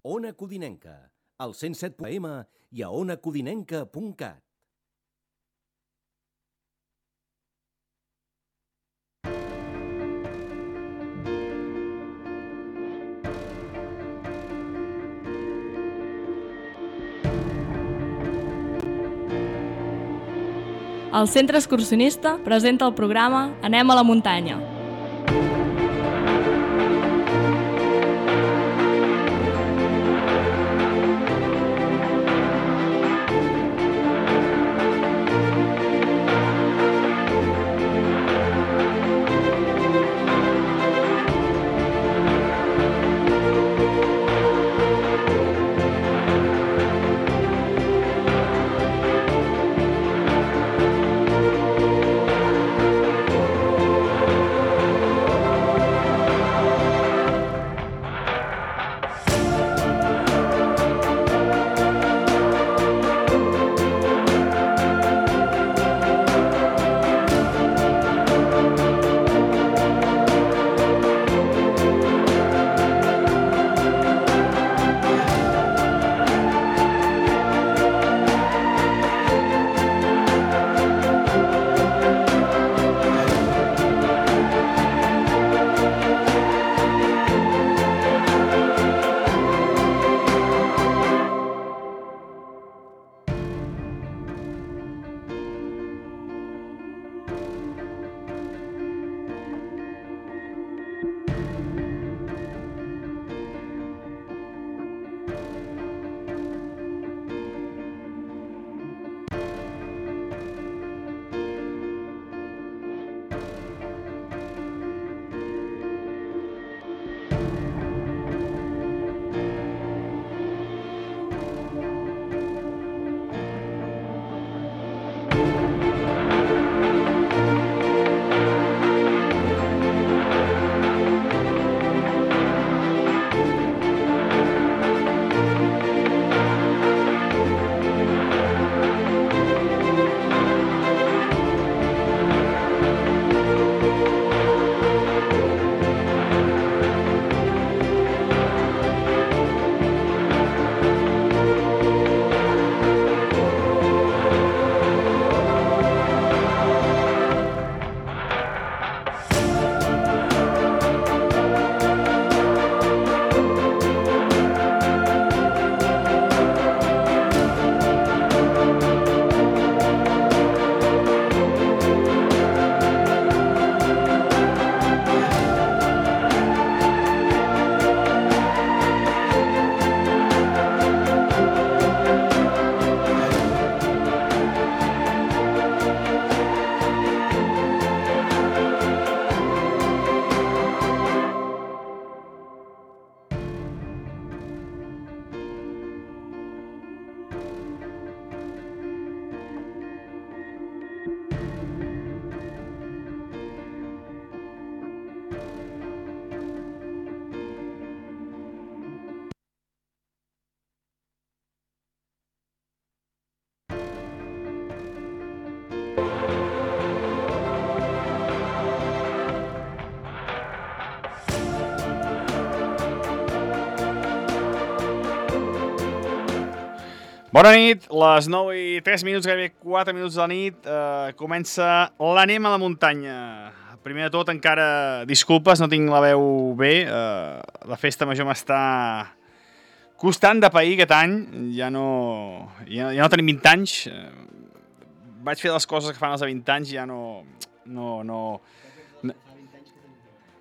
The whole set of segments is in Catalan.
Ona Codinenca, al 107 AM i a onacodinenca.cat. El Centre Excursionista presenta el programa Anem a la muntanya. Bona nit, les 9 i 3 minuts, gairebé 4 minuts de la nit, comença l'Anem a la muntanya. Primer de tot, encara disculpes, no tinc la veu bé, la festa major m'està costant de pair aquest any, ja no tenim 20 anys, vaig fer les coses que fan els de 20 anys i ja no...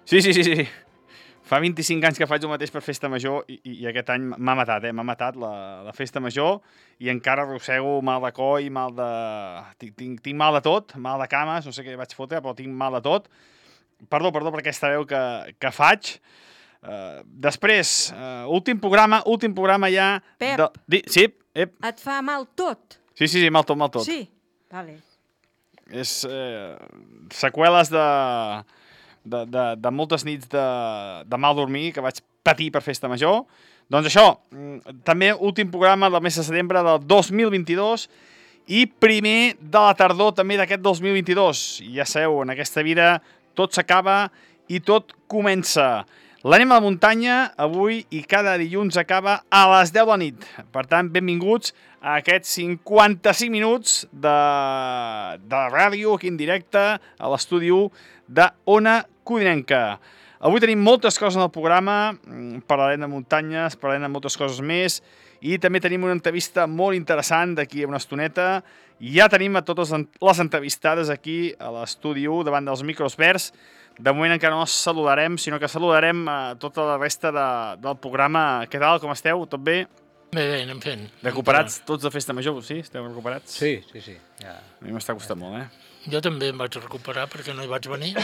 Sí. Fa 25 anys que faig el mateix per festa major i aquest any m'ha matat, m'ha matat la festa major i encara arrossego mal de coll, tinc mal de tot, mal de cames, no sé què vaig fotre, però tinc mal de tot. Perdó per aquesta veu que faig. Després, últim programa ja... Pep, sí, et fa mal tot? Sí, mal tot. Sí, vale. És seqüeles de moltes nits de mal dormir que vaig patir per festa major. Doncs això, també últim programa del mes de setembre del 2022 i primer de la tardor també d'aquest 2022. Ja sabeu, en aquesta vida tot s'acaba i tot comença. L'Anem a la muntanya avui i cada dilluns acaba a les 10 de la nit. Per tant, benvinguts a aquests 55 minuts de ràdio aquí en directe a l'estudi 1 d'Ona Codinenca. Avui tenim moltes coses en el programa, parlarem de muntanyes, parlarem de moltes coses més i també tenim una entrevista molt interessant d'aquí a una estoneta. Ja tenim a totes les entrevistades aquí a l'estudi 1 davant dels micros verds. De moment encara no els saludarem, sinó que saludarem a tota la resta del programa. Què tal, com esteu? Tot bé? Bé, anem fent. Recuperats tots de festa major, sí? Esteu recuperats? Sí. Ja. A mi m'està costant molt, Jo també em vaig recuperar perquè no hi vaig venir.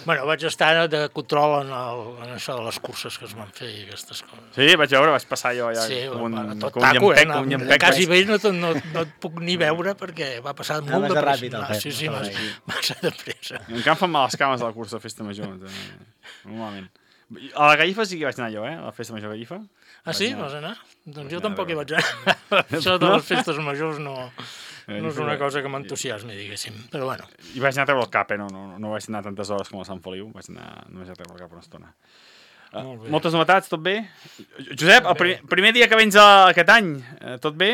Bueno, vaig estar de control en això de les curses que es van fer i aquestes coses. Sí, vaig veure, vaig passar jo ja Sí, com tot un taco, llampec. quasi bé no et puc ni veure perquè va passar molt de pressa. Sí, massa de pressa. Encara em fan mal les cames de la cursa de festa major. Normalment. A la Gallifa sí que vaig anar jo, a la festa major Gallifa. Ah, sí? Vas anar? Doncs jo tampoc hi vaig anar. Això de les festes majors no és una cosa que m'entusiasmi, diguéssim. Però bueno. I vaig anar a treure el cap, no vaig anar tantes hores com a Sant Feliu, només a treure el cap una estona. Moltes novetats, tot bé? Josep, el primer dia que vens aquest any, tot bé?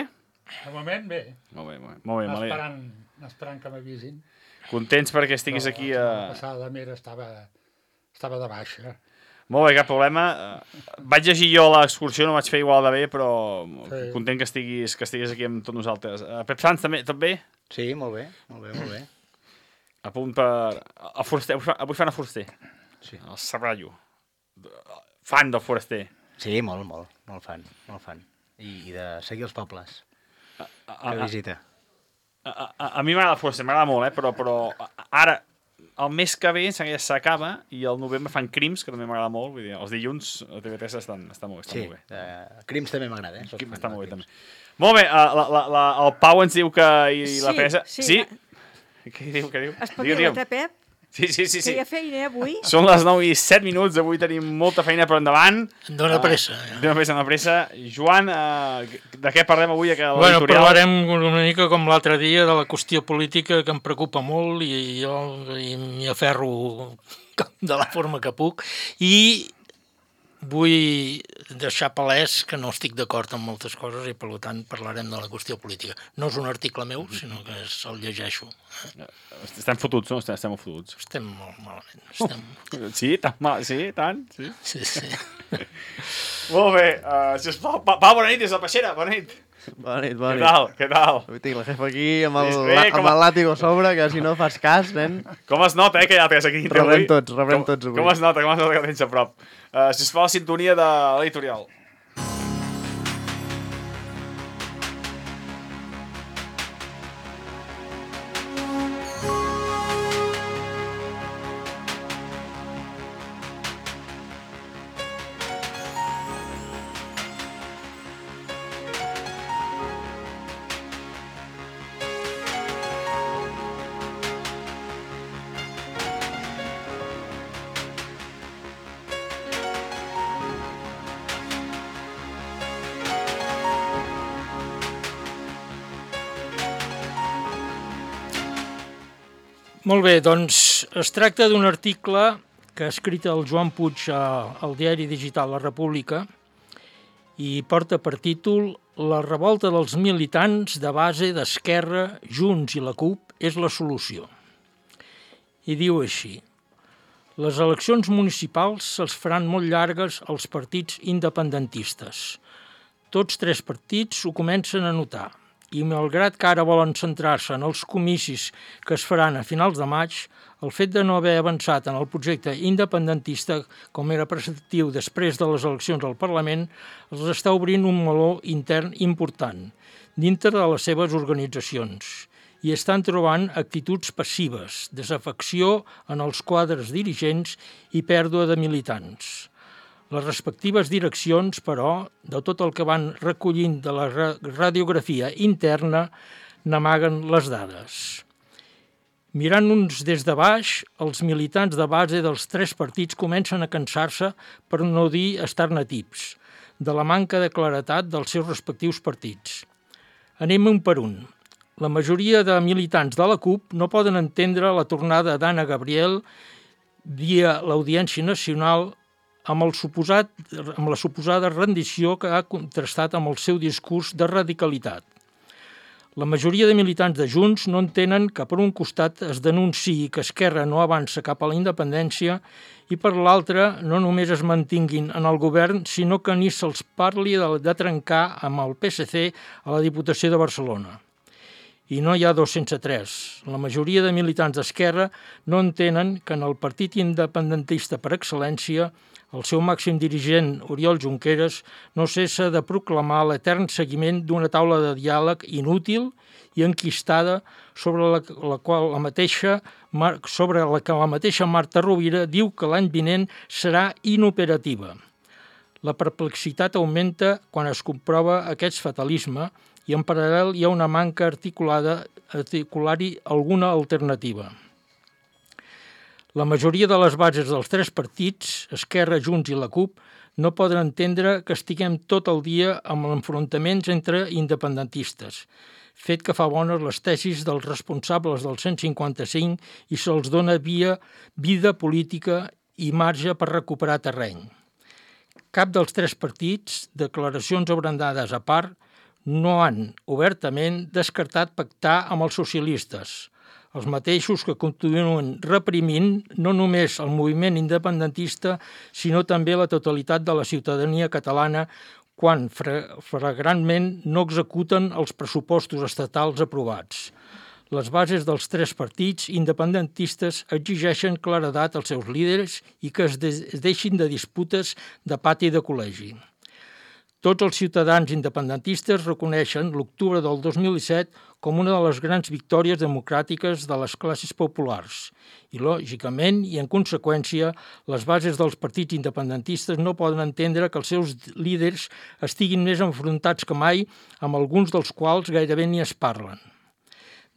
De moment, bé. Molt bé. Esperant que m'avisin. Contents perquè estiguis aquí La passada mera estava de baixa. Molt bé, cap problema. Vaig llegir jo l'excursió, no vaig fer igual de bé, però Sí. content que estiguis aquí amb tots nosaltres. Pep Sanz, també, tot bé? Sí, molt bé. A punt per... El Foraster, avui fan a Foraster. Sí. El Serrallo. Fan del Foraster. Sí, molt fan. I de seguir els pobles. Que visita. A mi m'agrada el Foraster, m'agrada molt, però ara, el mes que ve ja s'acaba i al novembre fan Crims, que també m'agrada molt. Vull dir, els dilluns a TV3 estan molt bé. Crims també m'agrada, Crims està molt bé, també. Molt bé, el Pau ens diu que... I la Teresa... Sí. Què diu? Espavila't, Pep, Sí. que hi ha feina avui. Són les 9:07, avui tenim molta feina per endavant. Dóna pressa. Dóna pressa. Joan, de què parlem avui a Bueno, l'editorial? parlarem una mica com l'altre dia de la qüestió política que em preocupa molt i jo m'hi aferro de la forma que puc i vull deixar palès que no estic d'acord amb moltes coses i per tant parlarem de la qüestió política. No és un article meu, sinó que el llegeixo. Estem fotuts, no? Estem molt fotuts. Estem molt malament. Sí, tan mal, sí, tant. Sí. Sí. Molt bé, sisplau, Pau, bona nit des de la Peixera, bona nit. Bona nit. Què tal? Avui tinc la jefa aquí amb com el làtigo a sobre, que si no fas cas, nen... Com es nota, que ja tens aquí dintre Rebrem tots avui. Com es nota que tens a prop. Sisplau, la sintonia de l'editorial. Molt bé, doncs es tracta d'un article que ha escrit el Joan Puig al diari digital La República i porta per títol La revolta dels militants de base d'Esquerra, Junts i la CUP és la solució. I diu així: les eleccions municipals se'ls faran molt llargues als partits independentistes. Tots tres partits ho comencen a notar. I malgrat que ara volen centrar-se en els comicis que es faran a finals de maig, el fet de no haver avançat en el projecte independentista, com era preceptiu després de les eleccions al Parlament, els està obrint un meló intern important dintre de les seves organitzacions i estan trobant actituds passives, desafecció en els quadres dirigents i pèrdua de militants. Les respectives direccions, però, de tot el que van recollint de la radiografia interna, n'amaguen les dades. Mirant-nos des de baix, els militants de base dels tres partits comencen a cansar-se, per no dir estar-ne tips, de la manca de claretat dels seus respectius partits. Anem un per un. La majoria de militants de la CUP no poden entendre la tornada d'Anna Gabriel via l'Audiència Nacional amb la suposada rendició que ha contrastat amb el seu discurs de radicalitat. La majoria de militants de Junts no entenen que per un costat es denunciï que Esquerra no avança cap a la independència i per l'altre no només es mantinguin en el govern, sinó que ni se'ls parli de trencar amb el PSC a la Diputació de Barcelona. I no hi ha dos sense tres. La majoria de militants d'Esquerra no entenen que en el partit independentista per excel·lència el seu màxim dirigent, Oriol Junqueras, no cessa de proclamar l'etern seguiment d'una taula de diàleg inútil i enquistada sobre la que la mateixa Marta Rovira diu que l'any vinent serà inoperativa. La perplexitat augmenta quan es comprova aquest fatalisme i en paral·lel hi ha una manca articular-hi alguna alternativa. La majoria de les bases dels tres partits, Esquerra, Junts i la CUP, no poden entendre que estiguem tot el dia amb enfrontaments entre independentistes, fet que fa bones les tesis dels responsables del 155 i se'ls dona vida política i marge per recuperar terreny. Cap dels tres partits, declaracions abrandades a part, no han obertament descartat pactar amb els socialistes, els mateixos que continuen reprimint no només el moviment independentista, sinó també la totalitat de la ciutadania catalana quan flagrantment no executen els pressupostos estatals aprovats. Les bases dels tres partits independentistes exigeixen claredat als seus líders i que es deixin de disputes de pati de col·legi. Tots els ciutadans independentistes reconeixen l'octubre del 2017 com una de les grans victòries democràtiques de les classes populars i, lògicament, i en conseqüència, les bases dels partits independentistes no poden entendre que els seus líders estiguin més enfrontats que mai, amb alguns dels quals gairebé ni es parlen.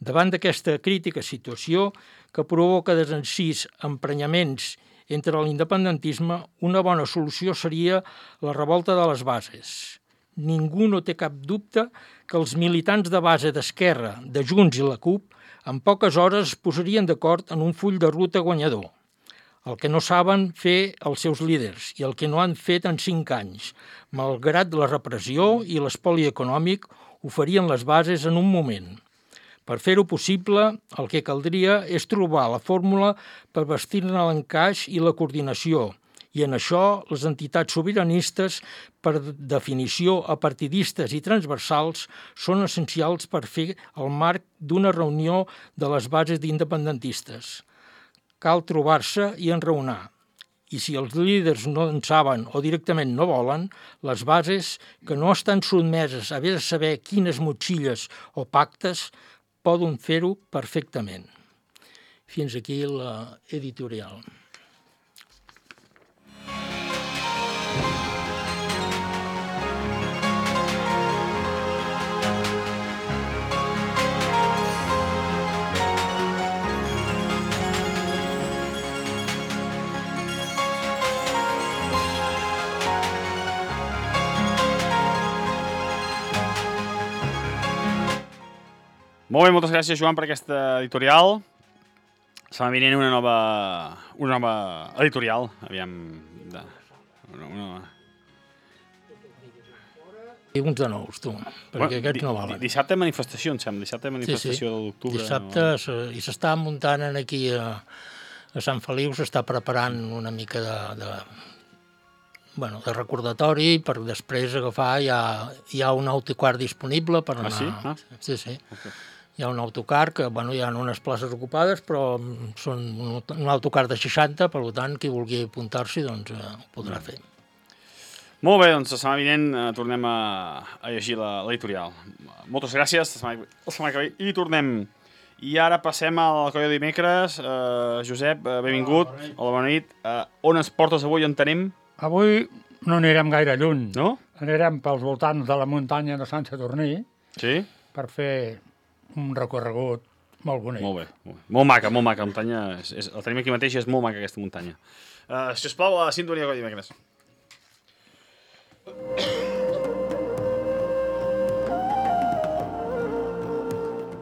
Davant d'aquesta crítica situació, que provoca desencís, emprenyaments entre l'independentisme, una bona solució seria la revolta de les bases. Ningú no té cap dubte que els militants de base d'Esquerra, de Junts i la CUP, en poques hores es posarien d'acord en un full de ruta guanyador. El que no saben fer els seus líders i el que no han fet en 5 anys, malgrat la repressió i l'espoli econòmic, ho farien les bases en un moment. Per fer-ho possible, el que caldria és trobar la fórmula per vestir-ne l'encaix i la coordinació, i en això les entitats sobiranistes, per definició apartidistes i transversals, són essencials per fer el marc d'una reunió de les bases d'independentistes. Cal trobar-se i enraonar. I si els líders no en saben o directament no volen, les bases, que no estan sotmeses a haver de saber quines motxilles o pactes, poden fer-ho perfectament. Fins aquí l'editorial. Molt bé, moltes gràcies, Joan, per aquesta editorial. Setmana vinent una nova editorial. Aviam... I uns de nous, tu, perquè aquests no valen. Dissabte manifestació, em sembla. Dissabte manifestació de l'octubre. Dissabte, i s'està muntant aquí a Sant Feliu, s'està preparant una mica de recordatori per després agafar. Hi ha un autocar disponible per anar... Ah, sí? Sí. Okay. Hi ha un autocar que, hi ha unes places ocupades, però són un autocar de 60, per tant, qui vulgui apuntar-s'hi, doncs ho podrà fer. Molt bé, doncs la setmana vinent tornem a llegir l'editorial. Moltes gràcies, la setmana que ve hi tornem. I ara passem al Colla de dimecres. Josep, benvingut. Hola, bona nit. On ens portes avui, on tenim? Avui no anirem gaire lluny. No? Anirem pels voltants de la muntanya de Sant Sadurní. Sí? Per fer un recorregut molt bonic. Molt bé. Molt maca, molt maca. La muntanya, la tenim aquí mateix i és molt maca aquesta muntanya. Si us plau, a la sintonia Colla de dimecres.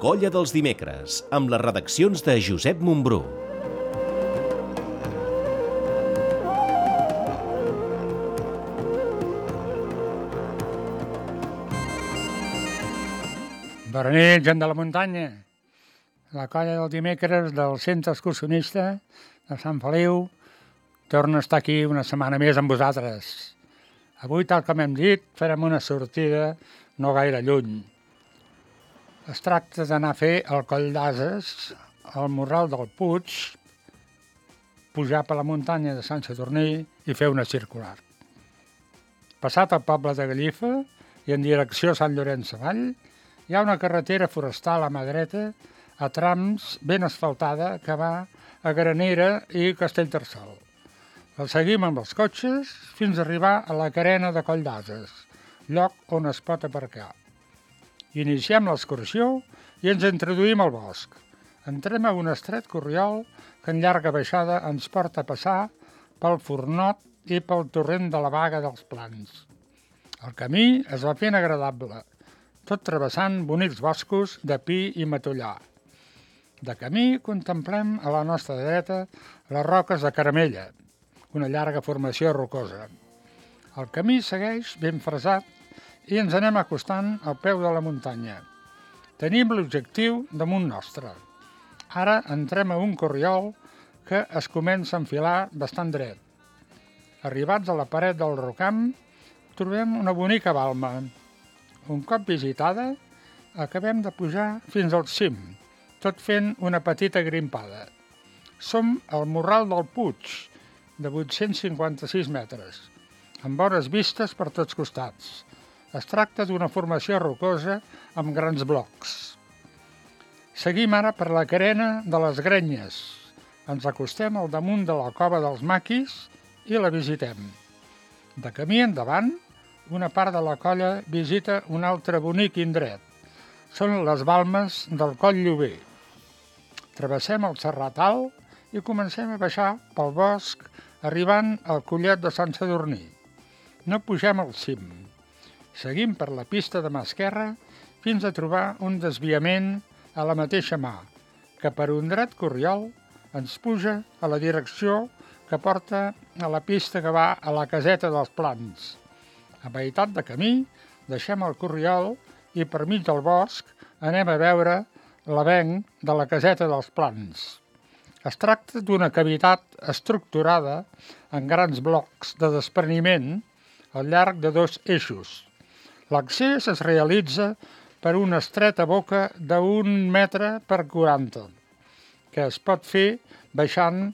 Colla dels dimecres, amb les redaccions de Josep Montbrú. Bona nit, gent de la muntanya. La colla del dimecres del centre excursionista de Sant Feliu torna a estar aquí una setmana més amb vosaltres. Avui, tal com hem dit, farem una sortida no gaire lluny. Es tracta d'anar a fer el Coll d'Ases, al Morral del Puig, pujar per la muntanya de Sant Sadurní i fer una circular. Passat el poble de Gallifa i en direcció a Sant Llorenç Savall, hi ha una carretera forestal a mà dreta, a trams ben asfaltada, que va a Granera i Castellterçol. La seguim amb els cotxes fins a arribar a la carena de Coll d'Ases, lloc on es pot aparcar. Iniciem l'excursió i ens introduïm al bosc. Entrem a un estret corriol que en llarga baixada ens porta a passar pel Fornot i pel torrent de la Baga dels Plans. El camí es va fent agradable, tot travessant bonics boscos de pi i matollar. De camí contemplem a la nostra dreta les roques de Caramella, una llarga formació rocosa. El camí segueix ben fresat i ens anem acostant al peu de la muntanya. Tenim l'objectiu damunt nostre. Ara entrem a un corriol que es comença a enfilar bastant dret. Arribats a la paret del Rocam, trobem una bonica balma. Un cop visitada, acabem de pujar fins al cim, tot fent una petita grimpada. Som al Morral del Puig, de 856 metres, amb bones vistes per tots costats. Es tracta d'una formació rocosa amb grans blocs. Seguim ara per la carena de les Grenyes. Ens acostem al damunt de la cova dels Maquis i la visitem. De camí endavant, una part de la colla visita un altre bonic indret. Són les balmes del Coll Llober. Travessem el Serrat Alt i comencem a baixar pel bosc, arribant al Collet de Sant Sadurní. No pugem al cim. Seguim per la pista de mà esquerra fins a trobar un desviament a la mateixa mà, que per un dret corriol ens puja a la direcció que porta a la pista que va a la caseta dels Plans. A meitat de camí deixem el corriol i per mig del bosc anem a veure l'avenc de la caseta dels Plans. Es tracta d'una cavitat estructurada en grans blocs de despreniment al llarg de 2 eixos. L'accés es realitza per una estreta boca d'1 metre per 40, que es pot fer baixant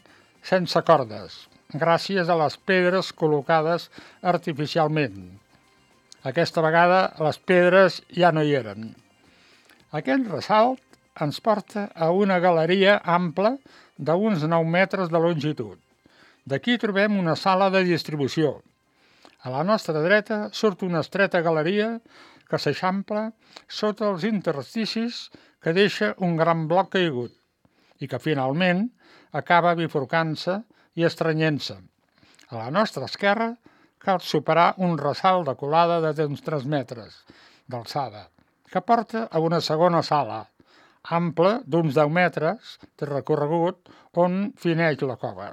sense cordes, gràcies a les pedres col·locades artificialment. Aquesta vegada les pedres ja no hi eren. Aquest ressalt ens porta a una galeria ampla d'uns 9 metres de longitud. D'aquí trobem una sala de distribució. A la nostra dreta surt una estreta galeria que s'eixampla sota els intersticis que deixa un gran bloc caigut i que finalment acaba bifurcant-se i estrenyent-se. A la nostra esquerra cal superar un ressalt de colada de uns 3 metres d'alçada que porta a una segona sala, ample d'uns 10 metres de recorregut on fineix la cova.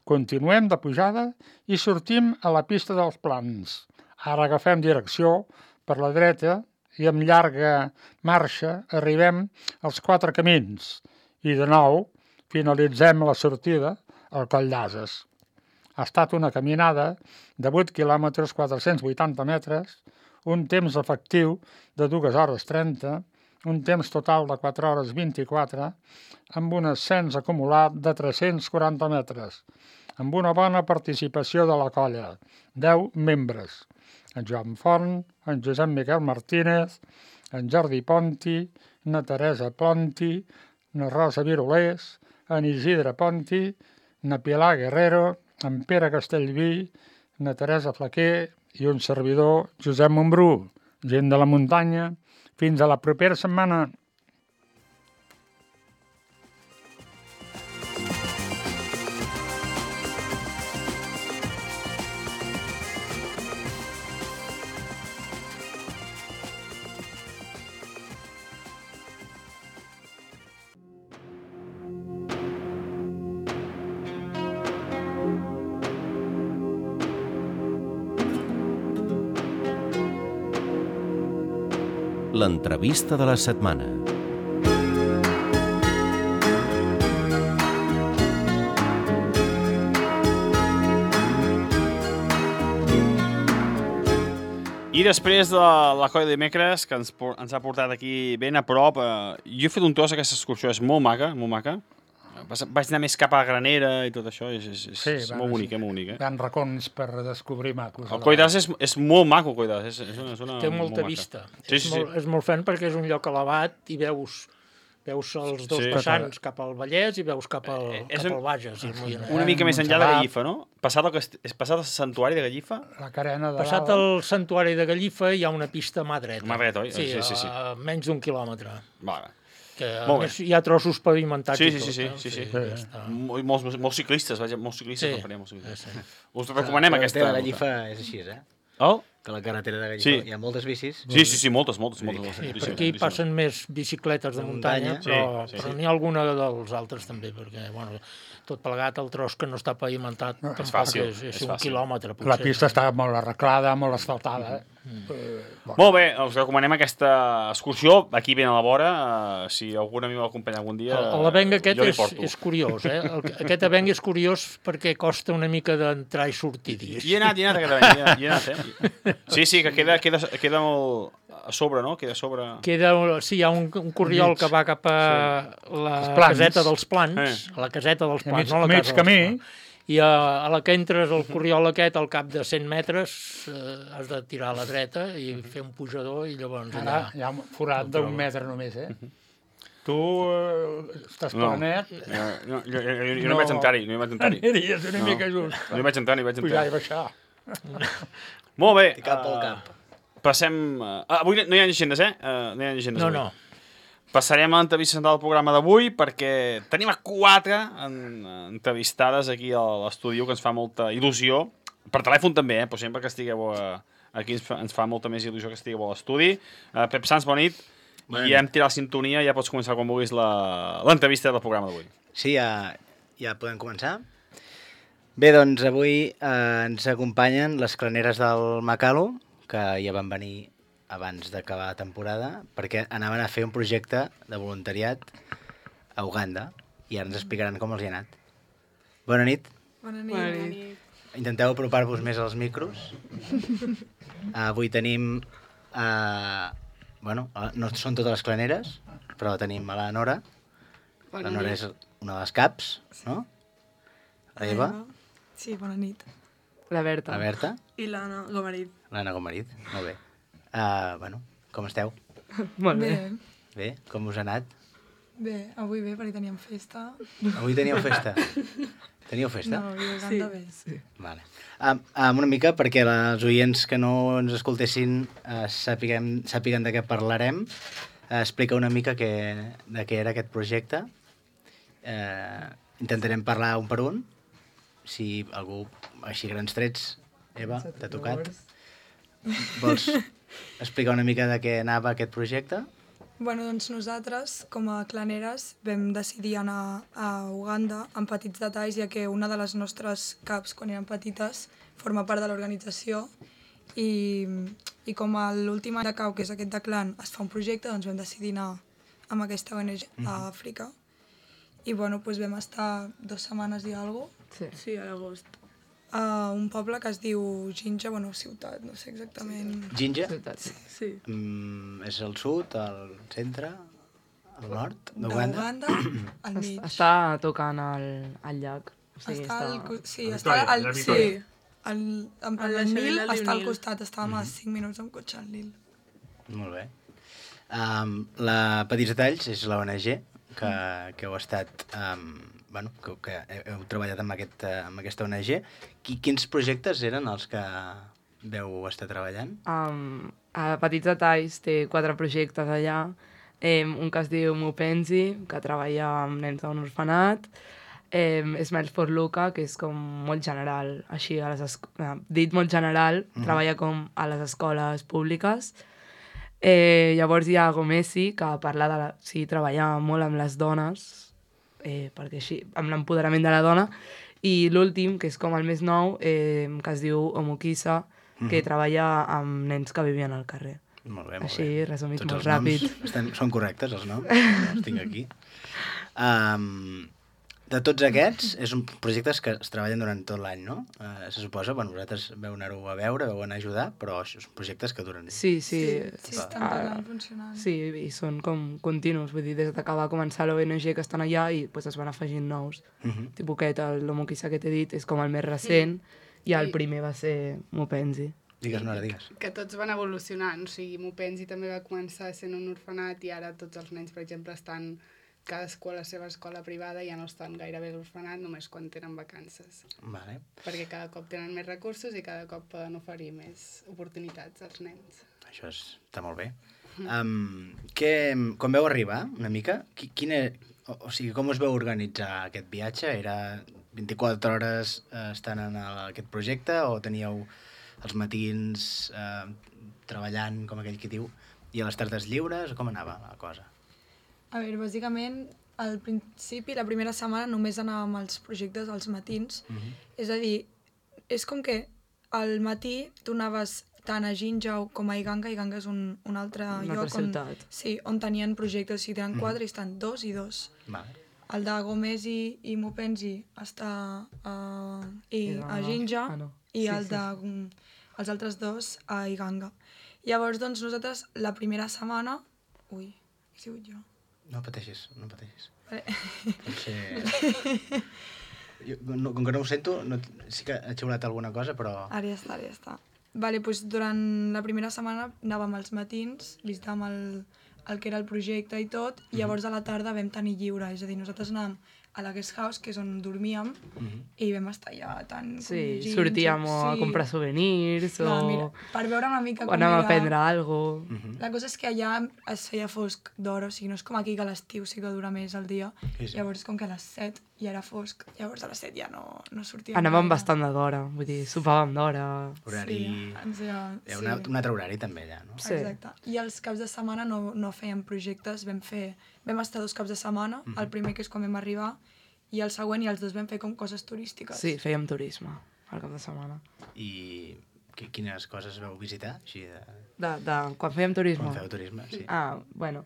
Continuem de pujada i sortim a la pista dels Plans. Ara agafem direcció per la dreta i amb llarga marxa arribem als 4 camins i de nou finalitzem la sortida al Coll d'Ases. Ha estat una caminada de 8 quilòmetres 480 metres, un temps efectiu de 2 hores 30, un temps total de 4 hores 24, amb un ascens acumulat de 340 metres, amb una bona participació de la colla, 10 membres, en Joan Font, en Josep Miquel Martínez, en Jordi Ponti, na Teresa Ponti, na Rosa Virolés, en Isidre Ponti, na Pilar Guerrero, en Pere Castellví, na Teresa Flaquer i un servidor, Josep Montbrú, gent de la muntanya. Fins a la propera setmana. L'entrevista de la setmana. I després de la colla de dimecres, que ens ha portat aquí ben a prop, jo he fet un tros, aquesta excursió és molt maca, molt maca. Vaig anar més cap a Granera i tot això, és molt bonic, molt bonic. Hi ha racons per descobrir macos. El Coll d'As és molt maco, el Coll d'As. Té molta vista. És molt fan perquè és un lloc elevat i veus els dos vessants cap al Vallès i veus cap al Bages. Una mica més enllà de Gallifa, no? Passat el santuari de Gallifa? La carena de Passat el santuari de Gallifa hi ha una pista mà dreta. Mà dreta, oi? Sí, a menys d'1 quilòmetre. Vale. Que a més hi ha trossos pavimentats i tot. Sí. Molts ciclistes, molts ciclistes. Us recomanem aquesta. La carretera de Gallifa és així, Que la carretera de Gallifa hi ha moltes bicis. Sí, moltes. Per aquí passen més bicicletes de muntanya, però n'hi ha alguna dels altres també, perquè, tot plegat el tros que no està pavimentat és fàcil. És 1 quilòmetre, potser. La pista està molt arreglada, molt asfaltada. Molt bé, us recomanem aquesta excursió aquí ben a la vora. Si algun amic m'acompanya algun dia, l'avenc aquest és curiós, Aquest avenc és curiós perquè costa una mica d'entrar i sortir. Hi he anat aquest avenc, Sí, que queda molt a sobre, no? Queda a sobre... Sí, hi ha un corriol que va cap a la caseta dels Plans, a la caseta dels Plans, no a la casa dels Plans. I a la que entres al corriol aquest, al cap de 100 metres, has de tirar a la dreta i fer un pujador i llavors allà... Hi ha un forat d'1 metre només, Tu estàs planet... Jo no vaig entrar-hi, Aniries una mica just. No hi vaig entrar. Pujar i baixar. Molt bé. Cap pel cap. Passem... Avui no hi ha llegendes, No hi ha llegendes avui. No. Passarem a l'entrevista central del programa d'avui perquè tenim a 4 entrevistades aquí a l'estudi que ens fa molta il·lusió. Per telèfon també, però sempre que estigueu aquí ens fa molta més il·lusió que estigueu a l'estudi. Pep Sans, bona nit. I hem tirat la sintonia, ja pots començar quan vulguis l'entrevista del programa d'avui. Sí, ja podem començar. Bé, doncs avui ens acompanyen les claneres del Macalo, que ja van venir abans d'acabar la temporada, perquè anaven a fer un projecte de voluntariat a Uganda i ara ens explicaran com els hi ha anat. Bona nit. Bona nit. Intenteu apropar-vos més als micros. Avui tenim... no són totes les claneres, però tenim a la Nora. La Nora és una de les caps, no? La Eva. Sí, bona nit. La Berta. La Berta. I l'Anna Gomarit. L'Anna Gomarit, molt bé. Com esteu? Molt bé. Bé, com us ha anat? Bé, avui bé, perquè teníem festa. Avui teníeu festa? Teníeu festa? No, i Uganda bé. Sí. Vale. Una mica perquè els oients que no ens escoltessin sàpiguen de què parlarem. Explica una mica de què era aquest projecte. Intentarem parlar un per un. Si algú, així grans trets, Eva, t'ha tocat. Vols explicar una mica de què anava aquest projecte? Doncs nosaltres, com a claneres, vam decidir anar a Uganda amb petits detalls, ja que una de les nostres caps, quan eren petites, forma part de l'organització i com a l'últim any de cau, que és aquest de clan, es fa un projecte, doncs vam decidir anar amb aquesta ONG a Àfrica. I vam estar 2 setmanes i alguna cosa. Sí, a l'agost. A un poble que es diu Jinja, ciutat, no sé exactament... Jinja? Sí. És al sud, al centre, al nord d'Uganda? Al mig. Està tocant al llac. Està al Nil, està al costat, estàvem a 5 minuts amb cotxe al Nil. Molt bé. La Petits Detalls és l'ONG que heu estat... que heu treballat amb aquesta ONG. Quins projectes eren els que veu estar treballant? A Petits Detalls té 4 projectes allà. Un que es diu Mupenzi, que treballa amb nens d'un orfenat. Smiles for Luca, que és com molt general, així, dit molt general, treballa com a les escoles públiques. Llavors hi ha Gomesi, que parla treballa molt amb les dones, perquè així, amb l'empoderament de la dona, i l'últim, que és com el més nou, que es diu Omukisa, que treballa amb nens que vivien al carrer. Molt bé, molt Així, bé. resumit Tots molt els noms ràpid. són correctes, els noms. Els tinc aquí. De tots aquests, són projectes que es treballen durant tot l'any, no? Se suposa, bueno, vosaltres veu anar-ho a veure, veu anar a ajudar, però són projectes que duren. Sí. Sí, estan tot l'any funcionant. Sí, i són com continus, vull dir, des que va començar l'ONG que estan allà i pues, es van afegint nous. Tipus aquest, l'Homo Quissa que t'he dit, és com el més recent, i el primer va ser Mupenzi. Digues, Nora, digues. Que tots van evolucionant, o sigui, Mupenzi també va començar sent un orfenat i ara tots els nens, per exemple, estan cadascú a la seva escola privada i ja no estan gairebé a l'orfenat, només quan tenen vacances. Vale. Perquè cada cop tenen més recursos i cada cop poden oferir més oportunitats als nens. Això està molt bé. Quan vau arribar, una mica, o sigui, com us vau organitzar aquest viatge? Era 24 hores estant en aquest projecte o teníeu els matins treballant, com aquell que diu, i a les tardes lliures? Com anava la cosa? A veure, bàsicament, al principi, la primera setmana, només anàvem als projectes als matins. És a dir, és com que al matí tu anaves tant a Jinjau com a Iganga. Iganga és un altre lloc ciutat. On tenien projectes. O sigui, tenen 4 i estan 2 i 2. Vale. El de Gomesi i Mupenzi està a Jinja i els altres 2 a Iganga. Llavors, doncs, nosaltres la primera setmana... Ui, he sigut jo. No pateixis, no pateixis. Vale. Potser... Com que no ho sento, sí que he xiulat alguna cosa, però... Ara ja està. Vale, doncs durant la primera setmana anàvem als matins, visitàvem el que era el projecte i tot, i llavors a la tarda vam tenir lliure, és a dir, nosaltres anàvem a la guest house, que és on dormíem, i vam estar allà tant... Sí, sortíem a comprar souvenirs o... Mira, per veure una mica o anàvem a prendre alguna cosa. La cosa és que allà es feia fosc d'hora, o sigui, no és com aquí que a l'estiu sí que dura més el dia. Llavors, com que a les 7 ja era fosc, llavors a les 7 ja no sortíem. Anàvem bastant d'hora, vull dir, sopàvem d'hora. Horari... Hi ha un altre horari també allà, no? Sí. Exacte. I els caps de setmana no fèiem projectes, vam estar 2 caps de setmana, el primer que és quan vam arribar, i el següent, i els 2 vam fer com coses turístiques. Sí, fèiem turisme al cap de setmana. I quines coses vau visitar? Així Quan fèiem turisme? Quan fèieu turisme, sí. Bueno,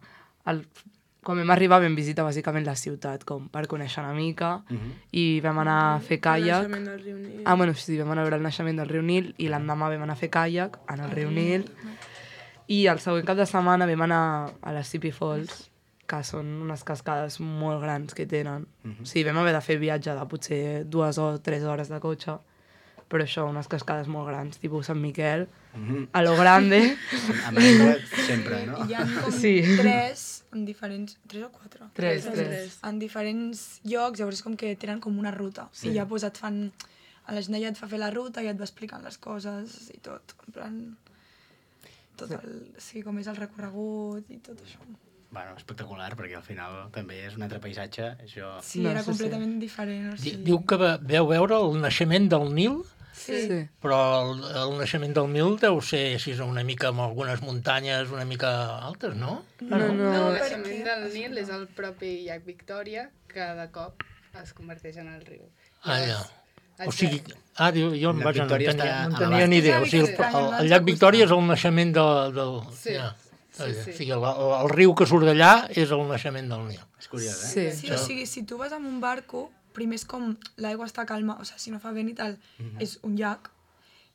quan vam arribar vam visitar bàsicament la ciutat, com per conèixer una mica, i vam anar a fer caiac. El naixement del riu Nil. Bueno, sí, vam anar a veure el naixement del riu Nil, i l'endemà vam anar a fer caiac en el riu Nil, i el següent cap de setmana vam anar a les Sipi Falls, que són unes cascades molt grans que tenen. Sí, vam haver de fer viatge de potser 2 o 3 hores de cotxe, però això, unes cascades molt grans, tipus Sant Miquel, a lo grande. Amb aigua sempre, no? I hi ha com 3 en diferents... 3 o 4? 3. En diferents llocs, llavors és com que tenen com una ruta. I ja et fan... A la gent ja et fa fer la ruta i et va explicant les coses i tot. En plan... Sí, com és el recorregut i tot això. Bueno, espectacular, perquè al final també és un altre paisatge. Això... Sí, era completament diferent. O sigui... Diu que veu veure el naixement del Nil, sí. Però el naixement del Nil deu ser així una mica amb algunes muntanyes una mica altes, no? No, el naixement del Nil és el propi llac Victòria, que de cop es converteix en el riu. Ja. O sigui, jo no tenia ni ni idea. O sigui, el llac Victòria és el naixement del... Sí. O sigui, el riu que surt d'allà és el naixement del Nil. És curiós, eh? Sí, o sigui, si tu vas amb un barco, primer és com l'aigua està calma, o sigui, si no fa vent i tal, és un llac,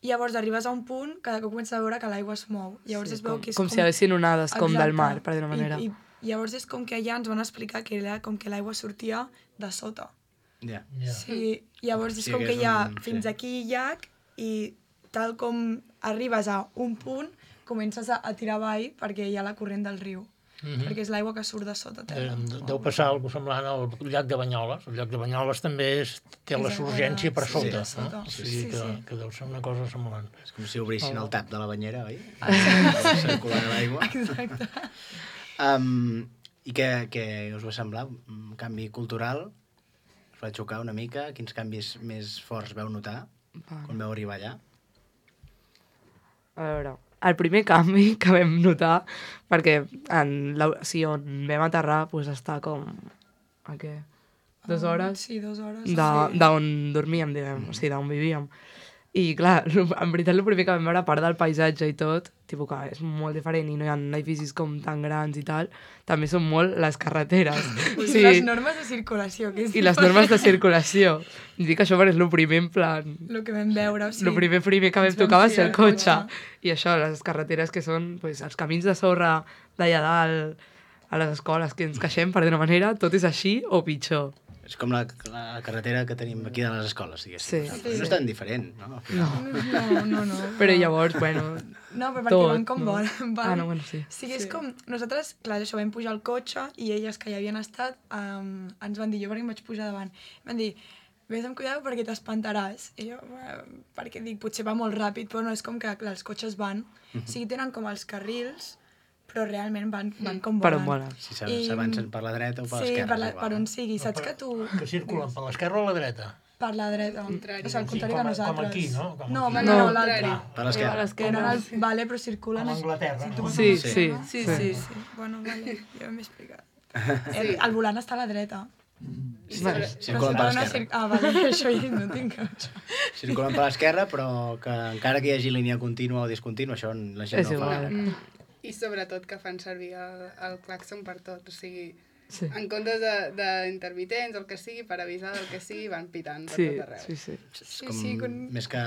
i llavors arribes a un punt que comences a veure que l'aigua es mou. Llavors es veu que és com si haguessin onades, com del mar, per dir una manera. I llavors és com que allà ens van explicar que era com que l'aigua sortia de sota. Ja. Sí, llavors és com que hi ha fins aquí llac i tal com arribes a un punt, comences a tirar avall perquè hi ha la corrent del riu, perquè és l'aigua que surt de sota terra. Deu passar alguna cosa semblant al llac de Banyoles. El llac de Banyoles també té la surgència per sota. O sigui que deu ser una cosa semblant. És com si obrissin el tap de la banyera, oi? Circular l'aigua. Exacte. I què us va semblar? Un canvi cultural? Us va xocar una mica? Quins canvis més forts veu notar quan veu arribar allà? A veure, el primer canvi que vam notar, perquè on vam aterrar està com... A què? 2 hores? Sí, 2 hores. D'on dormíem, diguem, o sigui, d'on vivíem. I clar, en veritat el primer que vam veure, a part del paisatge i tot, tipus que és molt diferent i no hi ha edificis com tan grans i tal, també són molt les carreteres. Les normes de circulació. Que és I les normes de circulació. I dic això perquè és el primer en plan... El que vam veure, o sigui... El primer que vam tocar va ser el cotxe. I això, les carreteres que són pues, els camins de sorra d'allà dalt, a les escoles que ens queixem, per d'una manera, tot és així o pitjor. És com la carretera que tenim aquí de les escoles, diguéssim. Sí. No és tan diferent, no? No. Però llavors, bueno... No, però perquè van com volen. No, bueno, sí. Sí, és com... Nosaltres, clar, això, vam pujar al cotxe i elles que ja havien estat ens van dir, jo perquè em vaig pujar davant, van dir, vés amb cuidado perquè t'espantaràs. I jo, perquè dic, potser va molt ràpid, però no, és com que clar, els cotxes van, o sigui, tenen com els carrils, però realment van com volen. Per on volen. Si s'avancen per la dreta o per l'esquerra. Sí, per on sigui. Saps que tu... Que circulen per l'esquerra o la dreta? Per la dreta. O sigui, al contrari que nosaltres. Com aquí, no? No, l'altre. Per l'esquerra. Vale, però circulen... Com a Anglaterra, no? Sí. Bueno, vale, ja m'he explicat. El volant està a la dreta. Circulen per l'esquerra. Vale, això ja no tinc això. Circulen per l'esquerra, però que encara que hi hagi línia contínua o discontínua, això la gent no ho fa. I sobretot que fan servir el clàxon per tot, o sigui, en comptes d'intermitents o el que sigui, per avisar del que sigui, van pitant per tot arreu. Com més que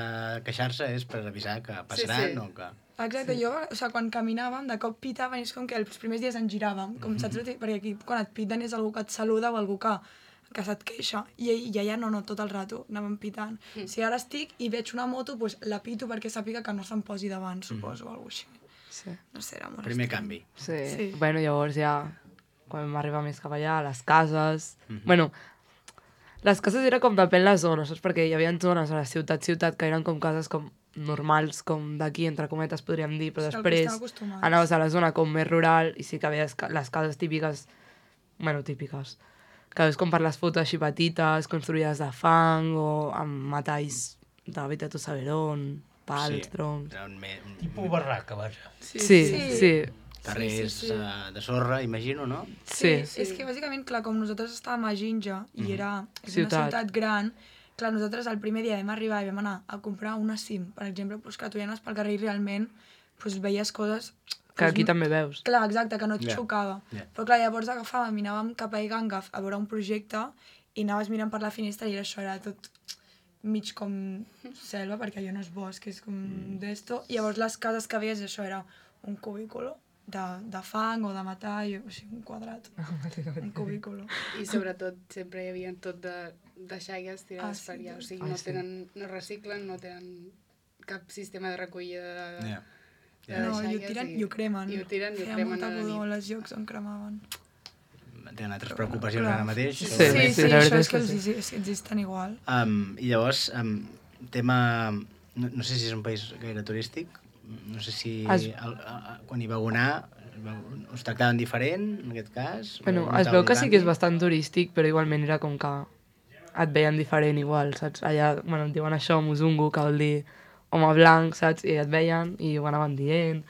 queixar-se és per avisar que passaran o que... Exacte, jo, o sigui, quan caminàvem, de cop pitaven i és com que els primers dies ens giràvem, com saps? Perquè aquí quan et piten és algú que et saluda o algú que se't queixa, i allà no, tot el rato anàvem pitant. Si ara estic i veig una moto, doncs la pito perquè sàpiga que no se'm posi davant, suposo, o alguna cosa així. Sí. No sé, era molt Primer estrany. canvi. Sí. Bueno, llavors ja, quan vam arribar més cap allà, a les cases... Bueno, les cases era com depèn les zones, saps? Perquè hi havia zones a la ciutat que eren com cases com normals, com d'aquí, entre cometes, podríem dir, però després anaves a la zona com més rural i sí que veies les cases típiques, típiques, que és com per les fotos així petites, construïdes de fang o amb metalls de vete a tu saber on, pals, troncs... Tipus barraca, vaja. Sí. Carrers de sorra, imagino, no? Sí. És que bàsicament, clar, com nosaltres estàvem a Jinja i és una ciutat gran, clar, nosaltres el primer dia vam arribar i vam anar a comprar una SIM, per exemple, doncs que tu ja anaves pel carrer i realment veies coses... Que aquí també veus. Clar, exacte, que no et xocava. Però clar, llavors agafàvem i anàvem cap a Igangaf a veure un projecte i anaves mirant per la finestra i això era tot mig com selva, perquè allò no és bosc, és com d'esto. I llavors les cases que veies, això era un cubículo de fang o de metall, o sigui, un quadrat, un cubículo. I sobretot sempre hi havia tot de xaigues tirades per allà, o sigui, no reciclen, no tenen cap sistema de recollida de xaigues. I ho cremen. I ho tiren i ho cremen a la nit. Els llocs on cremaven. Tenen altres preocupacions ara mateix. Sí, això és que existen igual. I llavors, tema... No sé si és un país gaire turístic, no sé si quan hi vau anar us tractaven diferent, en aquest cas. Bueno, es veu que sí que és bastant turístic, però igualment era com que et veien diferent igual, saps? Allà, bueno, et diuen això, Muzungu, que vol dir home blanc, saps? I et veien i ho anaven dient,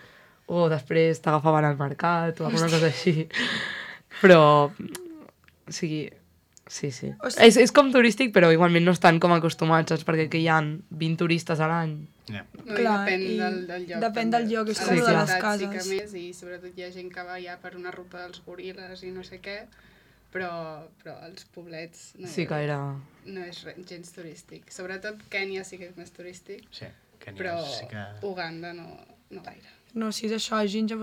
o després t'agafaven al mercat o alguna cosa així. Però, o sigui, sí. És com turístic, però igualment no estan com acostumats, saps? Perquè aquí hi ha 20 turistes a l'any. Clar, depèn del lloc. Depèn del lloc, és com de les cases. Sí que més, i sobretot hi ha gent que va ja per una ruta dels goril·les i no sé què, però els poblets no és gens turístic. Sobretot Kènia sí que és més turístic, però Uganda no gaire. No, si és això, a Jinja,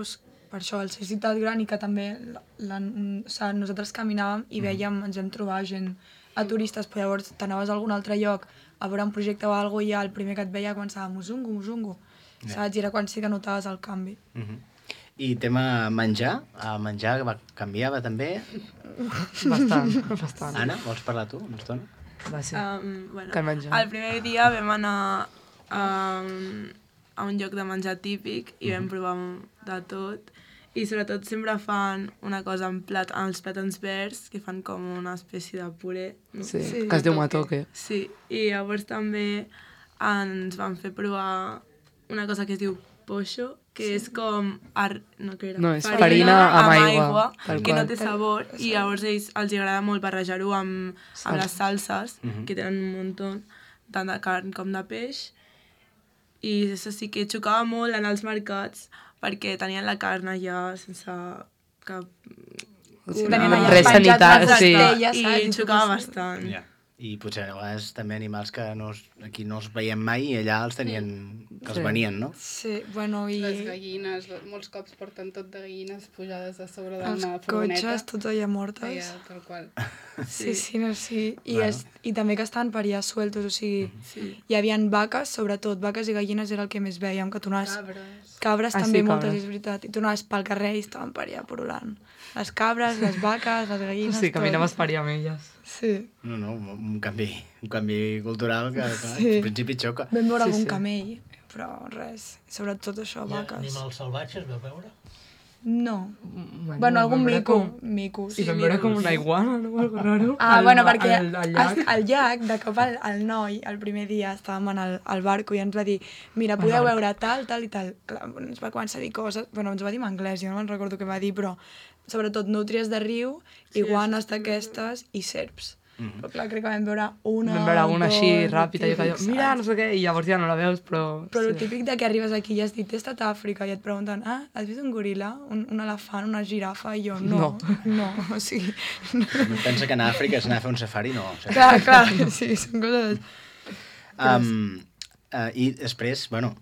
per això, al ser ciutat gran i que també nosaltres caminàvem i veiem, ens vam trobar gent a turistes, però llavors t'anaves a algun altre lloc a veure un projecte o alguna cosa i ja el primer que et veia començava Muzungu, saps? I era quan sí que notaves el canvi. I tema menjar? El menjar canviava també? Bastant. Anna, vols parlar tu una estona? Va, sí. El primer dia vam anar a un lloc de menjar típic i vam provar de tot. I sobretot sempre fan una cosa amb els plàtans verds, que fan com una espècie de puré. No? Sí, que es diu matoke. Sí, i llavors també ens van fer provar una cosa que es diu pocho, que és com... No, és farina amb aigua que no té sabor, i llavors a ells els agrada molt barrejar-ho amb les salses, que tenen un munt, tant de carn com de peix, I això sí que xocava molt anar als mercats perquè tenien la carn allà sense cap... Tenien allà res penjats sanitari, les sí. estelles, I saps? xocava bastant. Ja. I potser a vegades també animals que aquí no els veiem mai i allà els tenien... que els venien, no? Sí, bueno, i... Les gallines, molts cops porten tot de gallines pujades a sobre d'una Els furgoneta. cotxes, tots allà mortes. Allà, tal qual. Sí. Bueno. I també que estaven per allà sueltos, o sigui, hi havia vaques, sobretot, vaques i gallines era el que més veiem, que tu anaves... Cabres Ah, també sí, moltes, cabres. és veritat. I tu anaves pel carrer i estaven per allà porolant. Les cabres, les vaques, les gallines, Sí, tot. caminaves per allà amb elles. Sí. No, un canvi cultural que clar, Sí. al principi xoca. Vam veure Sí, algun sí. camell, però res. Sobretot això, vaques. Animals salvatges, vau veure? No. Bueno, algun mico. I vam veure com una iguana, no? Algo raro. Bueno, perquè al llac. al llac, de cop el noi, el primer dia, estàvem al barco i ens va dir, mira, podeu veure tal i tal. Clar, ens va començar a dir coses, bueno, ens va dir en anglès, jo no me'n recordo què va dir, però sobretot nútries de riu, iguanes d'aquestes i serps. Però clar, crec que vam veure una... Vam veure una així dos, ràpida i típic, mira, saps? no sé què, i llavors ja no la veus, però... Però el típic de que arribes aquí i has dit, he estat a Àfrica, i et pregunten, has vist un goril·la, un elefant, una girafa? I jo, no, o sigui... Pensa que anar a Àfrica és anar a fer un safari, no. Clar, sí, són coses... I després, bueno,